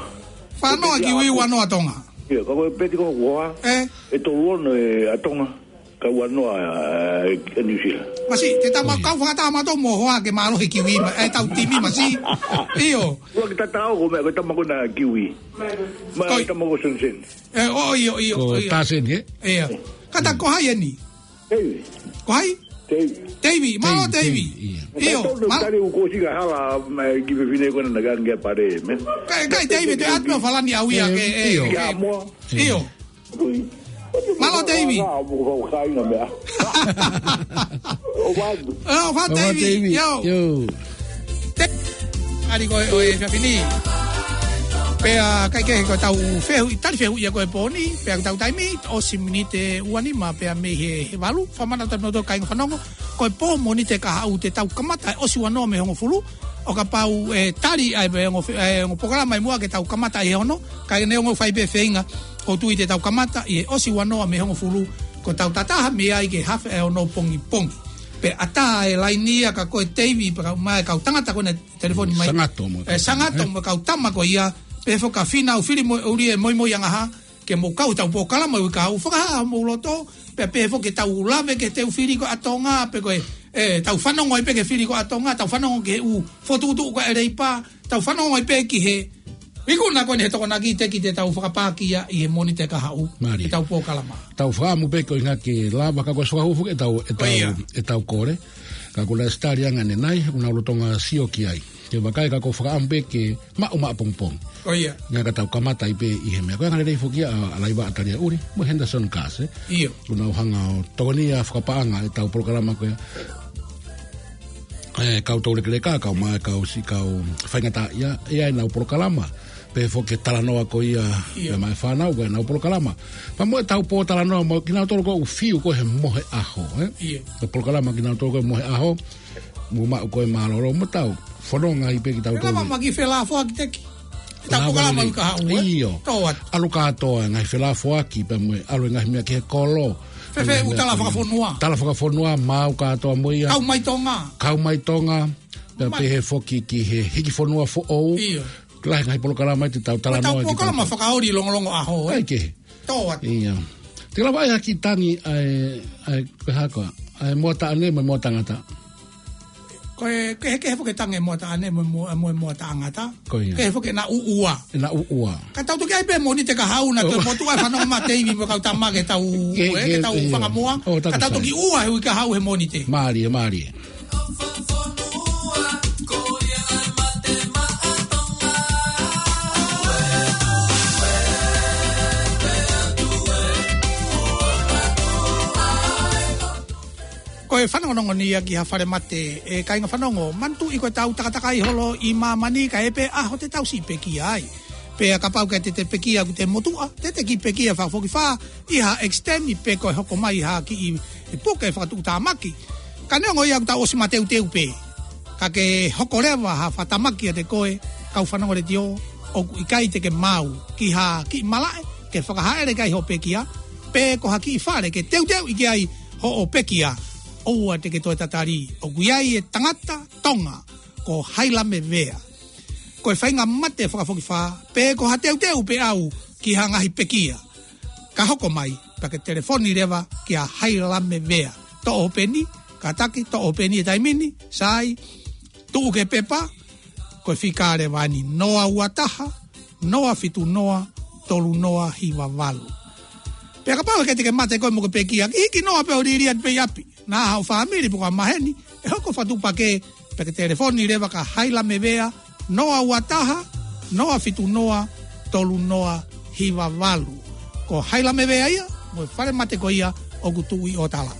Fā noa kiwi, ua noa Tonga. ʻIo, ka ko e peti ko ʻoku hoa. Eh. ʻE tolu ono ʻa Tonga. Ka ua noa, eh, ʻa New Zealand. Masi, te tama kau fakatama tau mo hoa ke mālō he kiwi ma, eh, tau timi masi. ʻIo. Ua ke tatau ko mea ko e tama ko ena kiwi. Ma ko e tama ko Sensen. Eh, ʻo, ʻio, ʻio, ko ʻio. Tasen, eh? ʻIo. Kata ko hai eni? Teivi. Ko hai? Teivi. Teivi, mālō Teivi, Teivi. Teivi, ʻio. ʻIo, tau mālō. Tali u ko si ka hala, ma ki fefine ko ena nakange pare, me. Kai, kai Teivi, te atu falani au ia ke, eh, ʻio. Ke amo. ʻIo. Mālō, Teivi. Ua, ua, ua, kāinga meʻa. ʻO vatu. ʻO vatu, ʻO vatu, Teivi. Teivi. ʻIo. ʻIo. Te-, ʻa ia ko e, ʻo e efiafi ni. Pea kai kehe ko e tau fehuʻi, tali fehuʻi ia ko e pō ni. Pea tau taimi, ʻosi miniti ʻe ua nima pea mei he, he valu. Fakamanatu atu mo e kāinga fanongo. Ko e pō Mōnite kahaʻu te tau kamata, ʻosi ua noa mei he hongofulu. ʻO kapau ʻe tali ai pē ongo fe-, ʻe ongo polokalama ʻi muʻa ke tau kamata ʻi he ono, ka neongo fai pē feinga, ʻoku ou tui te tau kamata ʻi he ʻosi ua noa mei he hongofulu, ko e tau tataha mei ai ki he hafe ʻe ono pongipongi. Pea ʻatā e laini ia ka ko e Teivi, pea kau mai, kau tangata ko ena telefoni mai. Sangato mo e ʻE, kau Sangato tama, eh? Mo e kau tama ko ia, pehē foki kia Fina ʻoku fili mo e ʻuli e moimoi angaha, ke mou kau he tau polokalama ʻi he uike kahaʻu, fakahā homou loto, pea pehē foki ke tau lave ki he teu fili ko ē ʻa Tonga, pe ko e, ʻe, tau fanongo ai pē ki he fili ko ē ʻa Tonga, tau fanongo ki he ʻū fokotuʻutuʻu ko ē ʻa e Leipa, tau fanongo ai pē ki he ikuna ko eni he Tokonaki, teʻeki te tau fakapākia ʻi he Mōnite kahaʻu, Mālie. He tau polokalama. Tau fakaʻamu pē ko e ʻuhinga ke lava ka ko e suahufu ke tau, ʻe tau, ʻIo. ʻe tau kole, ka ko e last tali ange ʻanenai, ʻoku nau lolotonga sio ki ai. Ke vakai ka ko e fakaʻamu pē ke maʻu maʻu pongipongi. ʻIo. Ngā ka tau kamata ai pē ʻi he meʻa. Ko e anga lelei foki ʻa, ʻa Laiva ʻa Talia ʻUli, mo Henderson Kase. ʻIo. ʻOku nau hanga ʻo tokoni ʻa e fakapaʻanga ʻetau polokalama ko ē. ʻE, kau tau lekeleka, kau mai, kau si, kau faingataʻaʻia, ʻe ʻi ai ʻenau polokalama. Pehē foki ki he talanoa ko ia, ʻIo. Pea mai fānau ko ē ʻenau polokalama. Pea mo ʻetau pōtalanoa mo kinautolu ko ē ʻoku fiu ko ē he Mohe ʻAho, eh? ʻIo. Ko e polokalama kinautolu ko ē Mohe ʻAho. Mo maʻu ko e mālōlō mo tau fononga ai pē kitautolu. Pea lava maki felāfoaki teki. Tau Lava polokalama lelei. ʻI he uike kahaʻu, eh? ʻIo. Tō atu. ʻAlu kātoa ngaahi felāfoaki pea mo e ʻalu e ngaahi meʻa ki he kolo. Fēfē ʻū tala fakafonua. Tala fakafonua, maʻu kātoa mo ia. Kau mai Tonga. Kau mai Tonga. Pea Mai. Pehē foki ki he hiki fonua foʻou. ʻIo. Lahi ngaahi polokalama te tau Ko e tau talanoa ki polokalama tau. Fakaoli longolongo ʻaho, eh? ʻAi ke. Tō atu. ʻIo. Te lava ai ha kiʻi tangi ʻa e, ʻa e, ko e hā koā, ʻa e moa taʻane mo e moa tangata. Ko e, kehekehe foki e tangi e moa taʻane mo e moa, mo e moa tangata. Ko ia. Kehe foki ʻena ʻuʻua. ʻEna ʻuʻua. Ka tau toki ʻai pē Mōnite kahaʻu na ʻOu. Toe motuʻa e fanongo mai Teivi mo e kau tama ke tau, Ke, eh, ke ke, tau ʻio. Fanga moa. ʻOu, Ka tau takutai. Toki ʻua he uike kahaʻu he Mōnite. Mālie, mālie. Ko e fanongonongo ni ia ki ha fale mate, ʻe kāinga fanongo, manatuʻi ko e tau takatakai holo ʻi māmani kae ʻi ai pē ʻaho te tau siʻi pekia ai. Pea kapau ʻoku ʻikai te te pekia ʻoku te motuʻa, te te kiʻi pekia fakafokifā, ʻi ha extend pe ko e hoko mai ha kiʻi puke fakatuʻutāmaki. Ka neongo ia ʻoku tau ʻosi mateuteu pē. Ka ke hoko leva ha fakatamaki ʻiate koe, kau fanongo letiō, ʻoku ʻikai te ke maʻu ki ha kiʻi malaʻe, ke fakahāʻele ki ai hoʻo pekia, pe ko ha kiʻi fale ke teuteuʻi ki ai hoʻo pekia, ʻoua te ke toe tatali, ʻoku ʻi ai e tangata Tonga, ko Hailame Vea. Ko e faʻahinga mate fakafokifā, pe ko ha teuteu pē ʻau ki ha ngaahi pekia. Ka hoko mai, pea ke telefoni leva kia Hailame Vea. Toʻo peni, kātaki, toʻo peni he taimi ni, sai, tuʻu ki he pepa, ko e fika leva eni noa ua taha, noa fitu noa, tolu noa hiva valu. Pea kapau ʻoku ʻikai te ke mate koe mo ke pekia, ke hiki noa pē ʻo liliu atu pē ʻi ʻapi. Naʻa haʻo fāmili pe ko ha maheni, ʻe hoko fakatuʻupakē, pea ke telefoni leva kia Hailame Vea, noa ua taha, noa fitu noa, tolu noa hiva valu. Ko Haila Mevea ia, mo e fale mate ko ia ʻoku tuʻu ʻi ʻOtala.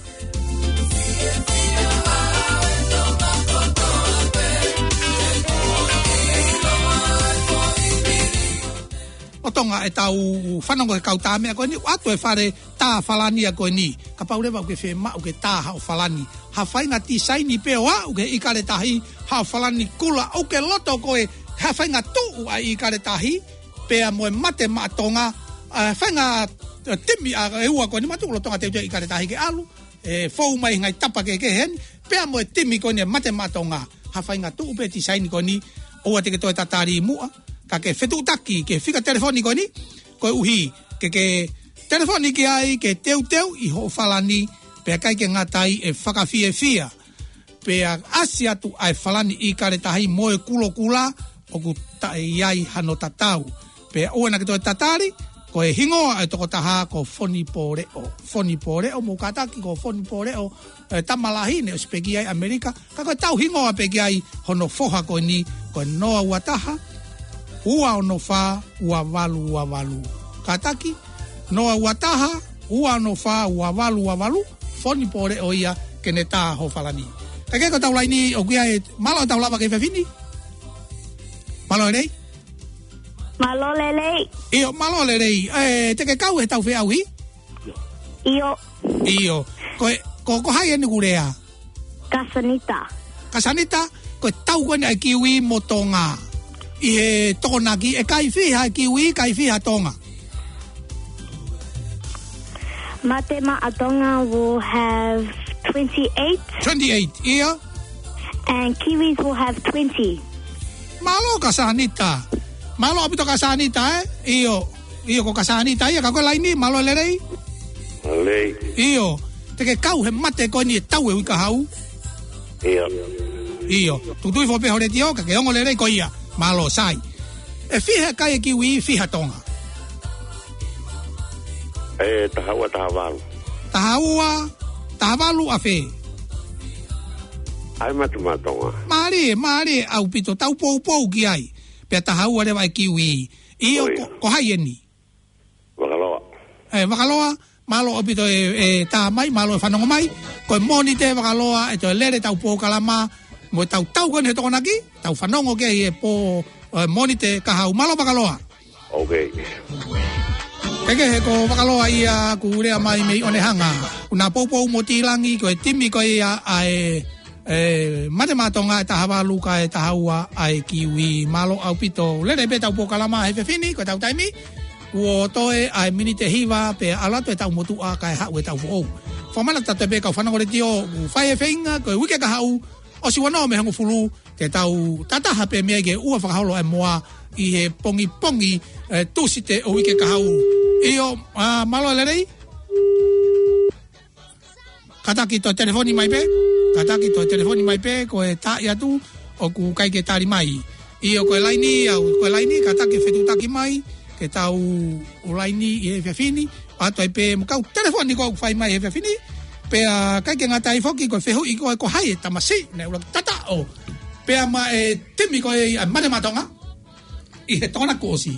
ʻO Tonga ʻetau fanongo he kau tā meʻa ko eni, ʻoatu e fale tā Falani ia ko eni. Kapau leva ʻoku ke fiemaʻu ke tā haʻo Falani, ha faʻahinga tisaini pē ʻo aʻu ki he ʻikale tahi, haʻo Falani kula, ʻoku ke loto koe ha faʻahinga tuʻu ʻa e ʻikale tahi, pea mo e Mate Maʻa Tonga, ʻa e faʻahinga, ʻa e timi ʻa e ua ko eni, Mate Maʻa Tonga teuteu ʻikale tahi ke ʻalu, ʻe fou mai ngaahi tapa kehekehe eni, pea mo e timi ko eni ʻa e Mate Maʻa Tonga. Ha faʻahinga tuʻu pē tisaini ko eni, ʻoua te ke toe tatali muʻa, ka ke fetuʻutaki ki he fika telefoni ko eni, koeʻuhi ke ke telefoni ki ai ke teuteuʻi hoʻo Falani, pea ʻikai ke ngata ai, ʻe fakafiefia. Pea ʻasi atu ʻa e Falani ʻikale tahi mo e kulokula, ʻoku taʻe ʻi ai hano tatau. Pea ʻoua naʻa ke toe tatali, ko e hingoa ʻo e tokotaha ko Foni Pōleʻo. Foni Pōleʻo, mou kātaki, ko Foni Pōleʻo, ʻe, tama lahi ne ʻosi pekia ʻi ʻAmelika, ka ko ʻetau hingoa pē ki ai hono foha ko eni, ko e noa ua taha, ua ono fā, ua valu ua valu. Kātaki, noa ua taha, ua ono fā, ua valu ua valu, Foni Pōleʻo ia ke ne tā hoʻo Falani. Kae kehe ko ʻetau laini ʻoku ʻi ai, mālō ʻetau lava ki he efiafi ni. Mālō e lelei. Mālō e lelei. ʻIo, mālō e lelei. ʻE, te ke kau heʻetau feʻauhi? ʻIo. ʻIo. Ko e, ko, ko hai eni ʻoku lea? Kasanita. Kasanita, ko e tau ko eni ʻa e Kiwi mo Tonga. ʻI he Tokonaki, ʻe kai fiha e Kiwi, kai fiha Tonga? Mate Maʻa Tonga will have twenty-eight. Twenty-eight, ʻio. And Kiwis will have twenty. Mālō Kasanita. Mālō ʻaupito Kasanita, ē? ʻIo. ʻIo, ko Kasanita ia, ka ko e laini, mālō e lelei. Lelei. ʻIo. Te ke kau he mate ko eni ʻe tau e uike kahaʻu? ʻIo. ʻIo. Tuʻutuʻu hifo pē ho letiō, ka ke ongo lelei ko ia. Mālō, sai. ʻE fiha kai e Kiwi, fiha Tonga? ʻE taha ua, taha valu. Taha ua, taha valu ʻa fē? ʻA e Mate Maʻa Tonga. Mālie, mālie ʻaupito, tau poupou ki ai. Pea taha ua leva e Kiwi. ʻIo, ʻio. Ko, ko hai eni? Vakaloa. ʻE, Vakaloa, mālō ʻaupito e, e tā mai, mālō e fanongo mai. Ko e Mōnite Vakaloa, ʻe toe lele ʻetau polokalama, mo ʻetau tau ko eni he Tokonaki, tau fanongo ki ai he pō, ʻe, Mōnite kahaʻu. Mālō Vakaloa. Ok. Kae kehe ko Vakaloa ia kuo lea mai mei ʻOnehunga. Kuo na poupou mo Tilangi, ko e timi ko ia ʻa e ʻe, Mate Maʻa Tonga ʻe taha valu kae taha ua ʻa e Kiwi. Mālō ʻaupito. Lele pē ʻetau polokalama he efiafi ni, ko ʻetau taimi. Kuo toe ʻa e miniti ʻe hiva pea ʻalu atu ʻetau motuʻa kae haʻu ʻetau foʻou. Fakamanatu atu pē kau fanongo letiō, ʻoku fai e feinga, ko e uike kahaʻu, ʻosi ua noa mei he hongofulu, te tau tataha pē mei ai ki he ua fakaholo ʻa e moa ʻi he pongipongi, ʻe, Tūsite ʻo e uike kahaʻu. ʻIo, ʻa, mālō e lelei. Kātaki toe telefoni mai pē. Kātaki toe telefoni mai pē, ko e taaʻi atu, ʻoku ʻikai ke tali mai. ʻIo, ko e laini, ʻa, ko e laini, kātaki fetuʻutaki mai, ke tau ō laini ʻi he efiafi ni, ʻoatu ai pē mo e kau telefoni ko ē ʻoku fai mai he efiafi ni, pea ʻikai ke ngata ai foki, ko e fehuʻi ko ē ko hai e tamasiʻi naʻe ʻuluaki tataʻo pea maʻa e timi ko ē ʻa Mate Maʻa Tonga ʻi he Tokonaki kuo ʻosi.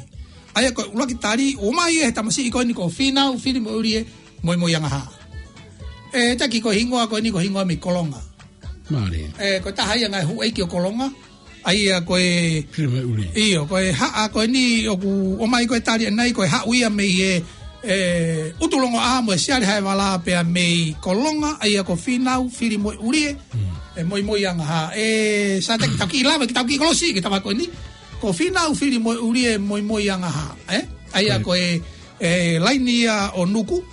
ʻA ia ko e ʻuluaki tali, ʻomai ʻe he tamasiʻi ko eni ko Fīnau Filimoʻulie Moimoiangahā. ʻE, taki ko e hingoa ko eni ko e hingoa mei Kolonga. Mālie. ʻE, ko e taha ia e ngaahi houʻeiki ʻo Kolonga. ʻA ia ko e Filimoʻulie. ʻIo, ko e haʻa ko eni ʻoku ʻomai ko e tali ʻanenai ko e haʻu ia mei he, ʻe, ʻUtulongoaʻa mo e Siale Haevala pea mei Kolonga, ʻa ia ko Fīnau Filimoʻulie. Mm. ʻE, Moimoiangahā. ʻE, Sāteki, tau kiʻi lava, ke tau kiʻi kolosi, ke tava ko eni. Ko Fīnau Filimoʻulie Moimoiangahā, ē? ʻA ia ko e, ʻe, laini ia ʻo Nuku,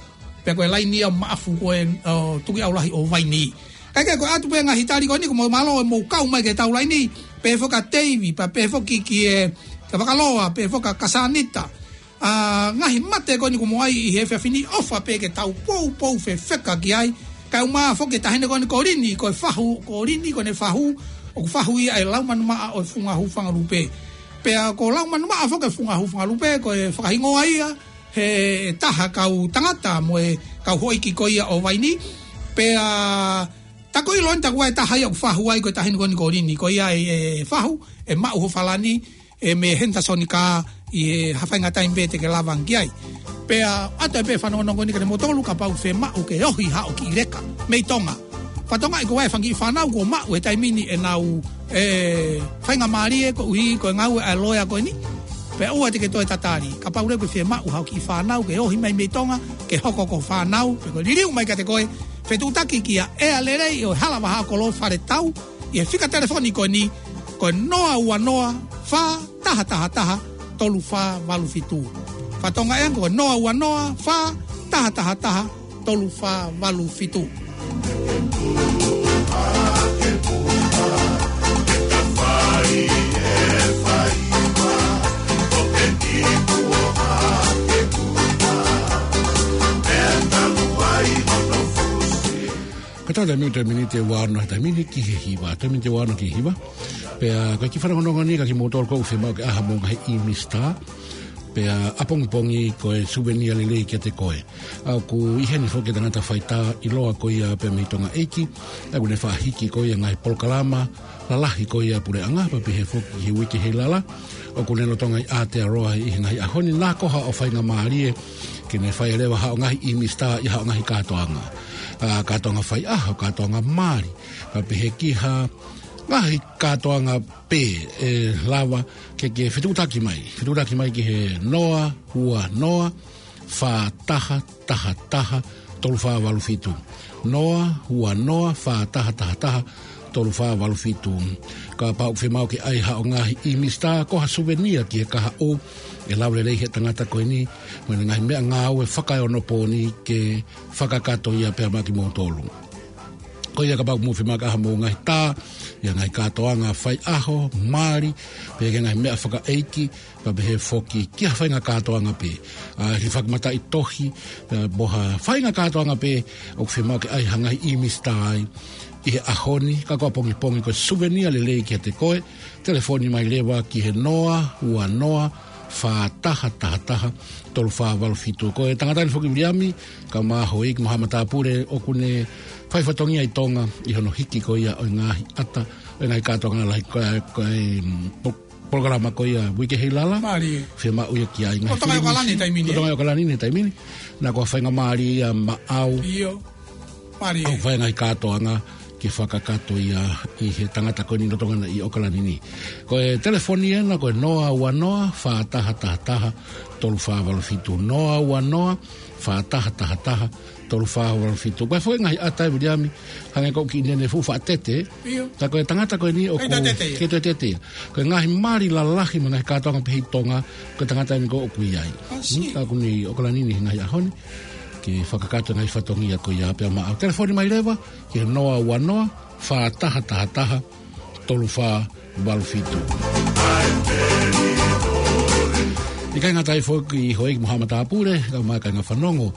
pea ko e laini ia ʻo Maʻafu ko ē, ʻo Tukuʻiʻaulahi ʻo Vainī. Kae kehe ko e ʻoatu pē ngaahi tali ko eni, ko e mālō e mou kau mai ki heʻetau laini, pehē foki kia Teivi, pea pehē foki ki he, kia Vakaloa, pehē foki kia Kasanita. ʻA, ngaahi mate ko eni kuo mou ʻai ʻi he efiafi ni, ʻofa pē ke tau poupou fefeka ki ai. Kae ʻumaʻā foki e taʻahine ko eni ko Lini, ko e fahu, ko Lini ko ʻene fahu, ʻoku fahu ia ʻe Laumanumaʻa ʻo e Funga Hūfangalupe. Pea ko Laumanumaʻa foki e Funga Hūfangalupe, ko e fakahingoa ia he taha kau tangata mo e kau houʻeiki ko ia ʻo Vainī. Pea tā ko e ʻilo eni tā ko e taha ia ʻoku fahu ai ko e taʻahine ko eni ko Lini, ko ia ʻe, ʻe fahu, ʻe maʻu ho Falani, ʻe mei Henderson Car, ʻi he ha faʻahinga taimi pē te ke lava ange ki ai. Pea ʻoatu ai pē fanongonongo ni kiate kimoutolu kapau ʻoku fiemaʻu ke ohi haʻo kiʻi leka mei Tonga. Fakatonga ʻi ko e fanga kiʻi fānau kuo maʻu he taimi ni ʻenau, ē, faingamālie koeʻuhi ko e ngāue ʻa e loea ko eni. Pea ʻoua te ke toe tatali. Kapau leva ʻoku fiemaʻu haʻo kiʻi fānau ke ohi mai mei Tonga, ke hoko ko e fānau, pe ko e liliu mai kiate koe, fetuʻutaki kia ʻEa Lelei ʻo e Hala Vahaʻa Kolo Fale Tau, ʻi he fika telefoni ko eni, ko e noa ua noa, fā taha taha taha, tolu fā valu fitu. Fakatonga ē ko e noa ua noa, fā taha taha taha, tolu fā valu fitu. Ka tau te miu te miniti ʻe ua ono he taimi ni ki he hiva, te miniti ʻe ua ono ki he hiva. Pea ko e kiʻi fanongonongo ni kiate kimoutolu ʻoku fiemaʻu ke ʻai haʻamou ngaahi ʻīmi star. Pea ʻapongipongi ko e suvenia lelei kiate koe. ʻA ʻoku ʻi heni foki e tangata faitā ʻiloa ko ia pea mei Tonga ʻEiki. ʻA ʻoku ne faʻa hiki ko ia ngaahi polokalama lalahi ko ia puleʻanga pea pehē foki he uike heilala. ʻOku ne lolotonga ʻi Aotearoa ʻi he ngaahi ʻaho ni, naʻa ko haʻo faingamālie ke ne fai leva haʻo ngaahi ʻīmi star ʻi haʻo ngaahi kātoanga. ʻA, kātoanga faiʻaho, kātoanga mali, pea pehē ki ha ngaahi kātoanga pē ʻe lava ke ke fetuʻutaki mai. Fetuʻutaki mai ki he noa ua noa, fā taha taha taha, tolu fā valu fitu. Noa ua noa, fā taha taha taha, tolu fā valu fitu. Kapau ʻoku fiemaʻu ke ʻai haʻo ngaahi ʻīmi star, ko ha suvenia ki he kahaʻu, ʻe lava lelei he tangata ko eni mo ʻene ngaahi meʻangāue fakaeonopōni ke fakakakato ia pea maʻa kimoutolu. Ko ia kapau ʻoku mou fiemaʻu ke ʻai haʻamou ngaahi tā ʻi he ngaahi kātoanga faiʻaho, mali, pea ki he ngaahi meʻa fakaʻeiki, pea pehē foki ki ha faʻahinga kātoanga pē. ʻA, ki he fakamataʻitohi, pea mo ha faʻahinga kātoanga pē ʻoku fiemaʻu ke ʻai ha ngaahi ʻīmi star ai ʻi he ʻaho ni, ka ko ʻapongipongi ko e suvenia lelei kiate koe, telefoni mai leva ki he noa ua noa, fā taha taha taha, tolu fā valu fitu. Ko e tangata ni foki Viliami, kae ʻumaʻā Houʻeiki mo Haʻa Matāpule, ʻoku ne fai fatongia ʻi Tonga ʻi hono hiki ko ia ʻo e ngaahi ʻata, ʻo e ngaahi kātoanga lalahi ko e, ko e, mm, po-, polokalama ko ia uike heilala. Mālie. Fiemaʻu ia ki ai ngaahi ʻOkalani filimisi. Taimi ni, ʻOkalani taimi ni. Naʻa ko ha faingamālie ia maʻau. ʻIo. Mālie. ʻOku fai ngaahi kātoanga ke fakakakato ia ʻi he tangata ko eni lolotonga ʻi ʻOkalani ni. Ko e telefoni ena ko e noa ua noa, fā taha taha taha, tolu fā valu fitu. Noa ua noa, fā taha taha taha, tolu fā valu fitu. Ko e foʻi ngaahi ʻata ē Viliami, hangē ko e kiʻi nene fuʻu faʻa tete. ʻIo. Ka ko e tangata ko eni ʻoku ʻikai toe tete ia. ʻIkai toe tete ia. Ko e ngaahi mali lalahi mo e ngaahi kātoanga pehē ʻi Tonga, ko e tangata eni ko ē ʻoku ʻi ai. I see. Hmm, ka ʻoku ne ʻi ʻOkalani ni he ngaahi ʻaho ni ke fakakakato e ngaahi fatongia ko ia pea maʻau. Telefoni mai leva ki he noa ua noa, fā taha taha taha, tolu fā valu fitu. ʻIkai ngata ai foki Houʻeiki mo Haʻa Matāpule, kae ʻumaʻā e kāinga fanongo,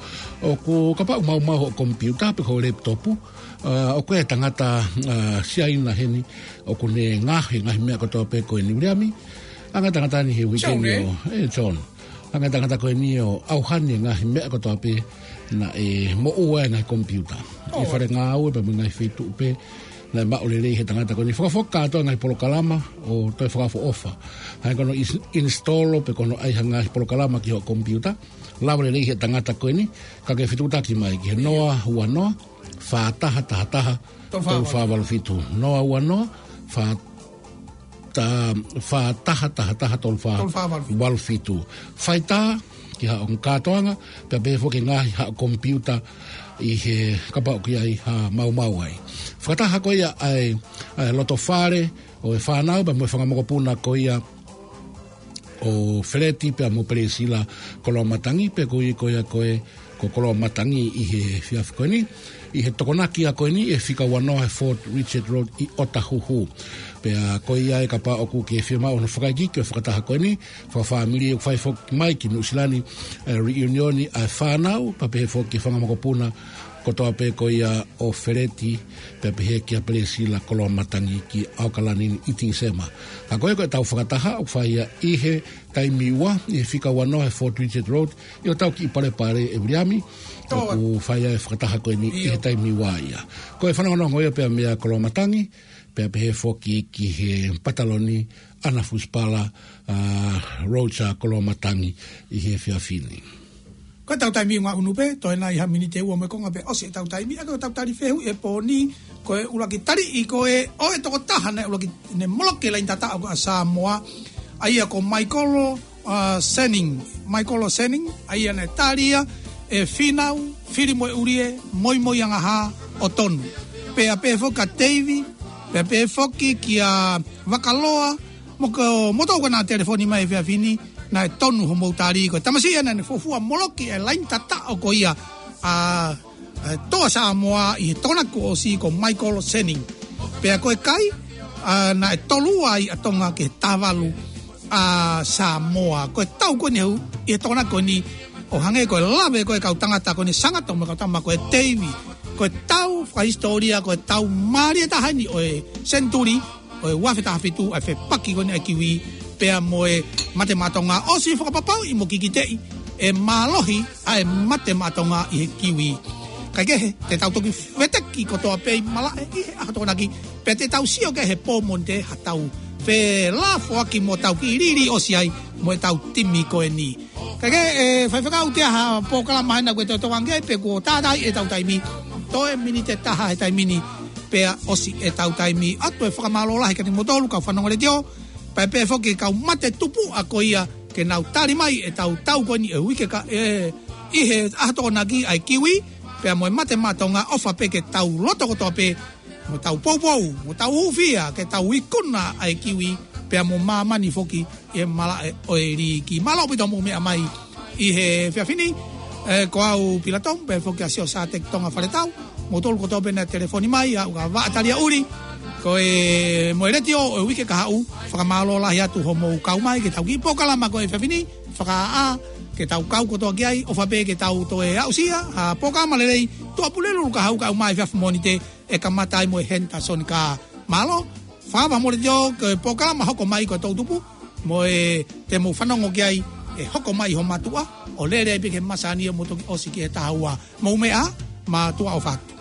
ʻoku kapau ʻoku maumau hoʻo komipiuta pe ko e laptop, ʻa, ʻoku ʻi ai e tangata, ʻa, Siaina heni ʻoku ne ngaohi e ngaahi meʻa kotoa pē ko eni Viliami. Hangē ko e tangata ni he uike ni ʻo, ē, John. Hangē ko e tangata ko eni ʻo ʻauhani e ngaahi meʻa kotoa pē naʻe moʻua ai e ngaahi komipiuta. ʻI he fale ngāue pea mo e ngaahi feituʻu pē naʻe maʻu lelei he tangata ko eni. Fakafoki kātoa e ngaahi polokalama ʻo toe fakaʻofoʻofa. Hangē ko hono ins-, install pe ko hono ʻai ha ngaahi polokalama ki hoʻo komipiuta. Lava lelei he tangata ko eni, ka ke fetuʻutaki mai ki he noa ua noa, fā taha taha taha, tolu fā valu fitu. Noa ua noa, fā ta-, fā taha taha taha, tolu fā valu fitu. Fai tā ki haʻo kātoanga, pea pehē foki ngaahi haʻo komipiuta ʻi he kapau ʻoku ʻi ai ha maumau ai. Fakataha ko ia ʻa e, ʻa e loto fale ʻo e fānau, pea mo e fanga mokopuna ko ia ʻo Feleti pea mo Pelesila Koloamatangi, pea ko ia ko ia ko ē ko Koloamatangi ʻi he efiafi ko eni, ʻi he Tokonaki ko eni, ʻi he fika ua noa he Fort Richard Road ʻi Otahuhu. Pea ko ia ē kapau ʻoku ke fiemaʻu hono fakaikiiki ʻo e fakataha ko eni, fakafāmili ʻoku fai foki mai ki Nuʻusila ni, ʻa e reunion ʻa e fānau, pea pehē foki ki he fanga mokopuna kotoa pē ko ia ʻo Feleti, pea pehē kia Pelesila Koloamatangi ki ʻAokalani ni ʻi Tīsema. Ka ko ia ko ʻetau fakataha ʻoku fai ia ʻi he taimi ua, ʻi he fika ua noa he Fort Richard Road, ʻi hotau kiʻi palepale ē Viliami, ʻoku fai ai e fakataha ko eni ʻi he taimi ua ia. Ko e fanongonongo ia pea meia Koloamatangi, pea pehē foki ki he pataloni ʻAna Fusipala, ʻa Roger Koloamatangi ʻi he efiafi ni. Ko ʻetau taimi ʻi he ʻunu pē, toe nai ha miniti ʻe ua mo e konga pea ʻosi ʻetau taimi, ʻa ko ʻetau tali fehuʻi he pō ni, ko e ʻuluaki taliʻi ko ē ʻo e tokotaha naʻe ʻuluaki ne moloki e laini tataʻo ko ia ʻa Samoa, ʻa ia ko Michael, ʻa, Senning, Michael Senning, ʻa ia naʻe tali ia ʻe Fīnau, Fili mo e ʻUlie, Moimoiangahā ʻo Tonu. Pea pehē foki kia Teivi, pea pehē foki kia Vakaloa, mo ko moutolu ko ena telefoni mai he efiafi ni, naʻe tonu hoʻomou tali ko e tamasiʻi ena naʻe fuofua moloki e laini tataʻo ko ia ʻa, ʻa Toa Samoa ʻi he Tokonaki kuo ʻosi ko Michael Senning. Pea ko e kai, ʻa, naʻe tolu ai ʻa Tonga ki he taha valu ʻa Samoa. Ko e tau ko eni ʻi he Tokonaki ko eni ʻo hangē ko e lave ko ē kau tangata ko eni Sangata mo e kau tama ko e Teivi. Ko e tau fakahisitōlia, ko e tau mālie taha eni ʻo e senituli, ʻo e ua afe taha fitu, ʻa e fepaki ko eni ʻa e kiwi, pea mo e mate maʻa Tonga, ʻosi fakapapauʻi mo kikiteʻi e mālohi ʻa e mate maʻa Tonga ʻi he kiwi. Kaikehe, te tau toki veteki kotoa pē ʻi malaʻe ʻi he ʻaho Tokonaki, pea te tau sio ki he pō Mōnite ha tau felafoaki mo tau kiʻi lili ʻosi ai mo e tau timi ko eni. Kaikehe, ʻe faifekau, ʻoku ʻi ai ha polokalama ʻe niʻihi ʻoku ke toe tokanga ki ai pe kuo tātaaʻi ʻetau taimi? Toe miniti ʻe taha he taimi ni pea ʻosi ʻetau taimi. ʻOatu e fakamālō lahi kiate kimoutolu kau fanongo letiō, pea pehē foki ki he kau mate tupuʻa ko ia ke nau tali mai ʻetau tau ko eni ʻi he uike ka, ʻe, ʻi he ʻaho Tokonaki ʻa e kiwi, pea mo e mate maʻa Tonga, ʻofa pē ke tau loto kotoa pē mo tau poupou, mo tau hūfia ke tau ikuna ʻa e kiwi, pea mo māmani foki ʻi he malaʻe ʻo e liiki. Mālō ʻaupito hoʻomou meʻa mai ʻi he efiafi ni, ʻe, ko au Pilato, pea foki ʻa Sio Sāteki Tonga Faletau, moutolu kotoa pē naʻe telefoni mai, ʻa ʻuka vaʻa talia ʻuli, ko e mo e letiō ʻo e uike kahaʻu, fakamālō lahi atu hoʻomou kau mai ki heʻetau kiʻi polokalama ko e efiafi ni, fakaʻā, ke tau kau kotoa ki ai, ʻofa pē ke tau toe aʻusia ha polokalama lelei, Tuʻapulelulu Kahaʻu kae ʻumaʻā e efiafi Mōnite, ʻe kamata ai mo e Henderson Kaa. Mālō, fakaava mo letiō, ko e polokalama hoko mai ko e toʻutupu, mo e te mou fanongo ki ai, ʻe hoko mai ho mātuʻa, ʻo lele ai pē ki he masani ʻo mou toki ʻosi ki he taha ua. Mou meʻa, mātuʻa ʻofa atu.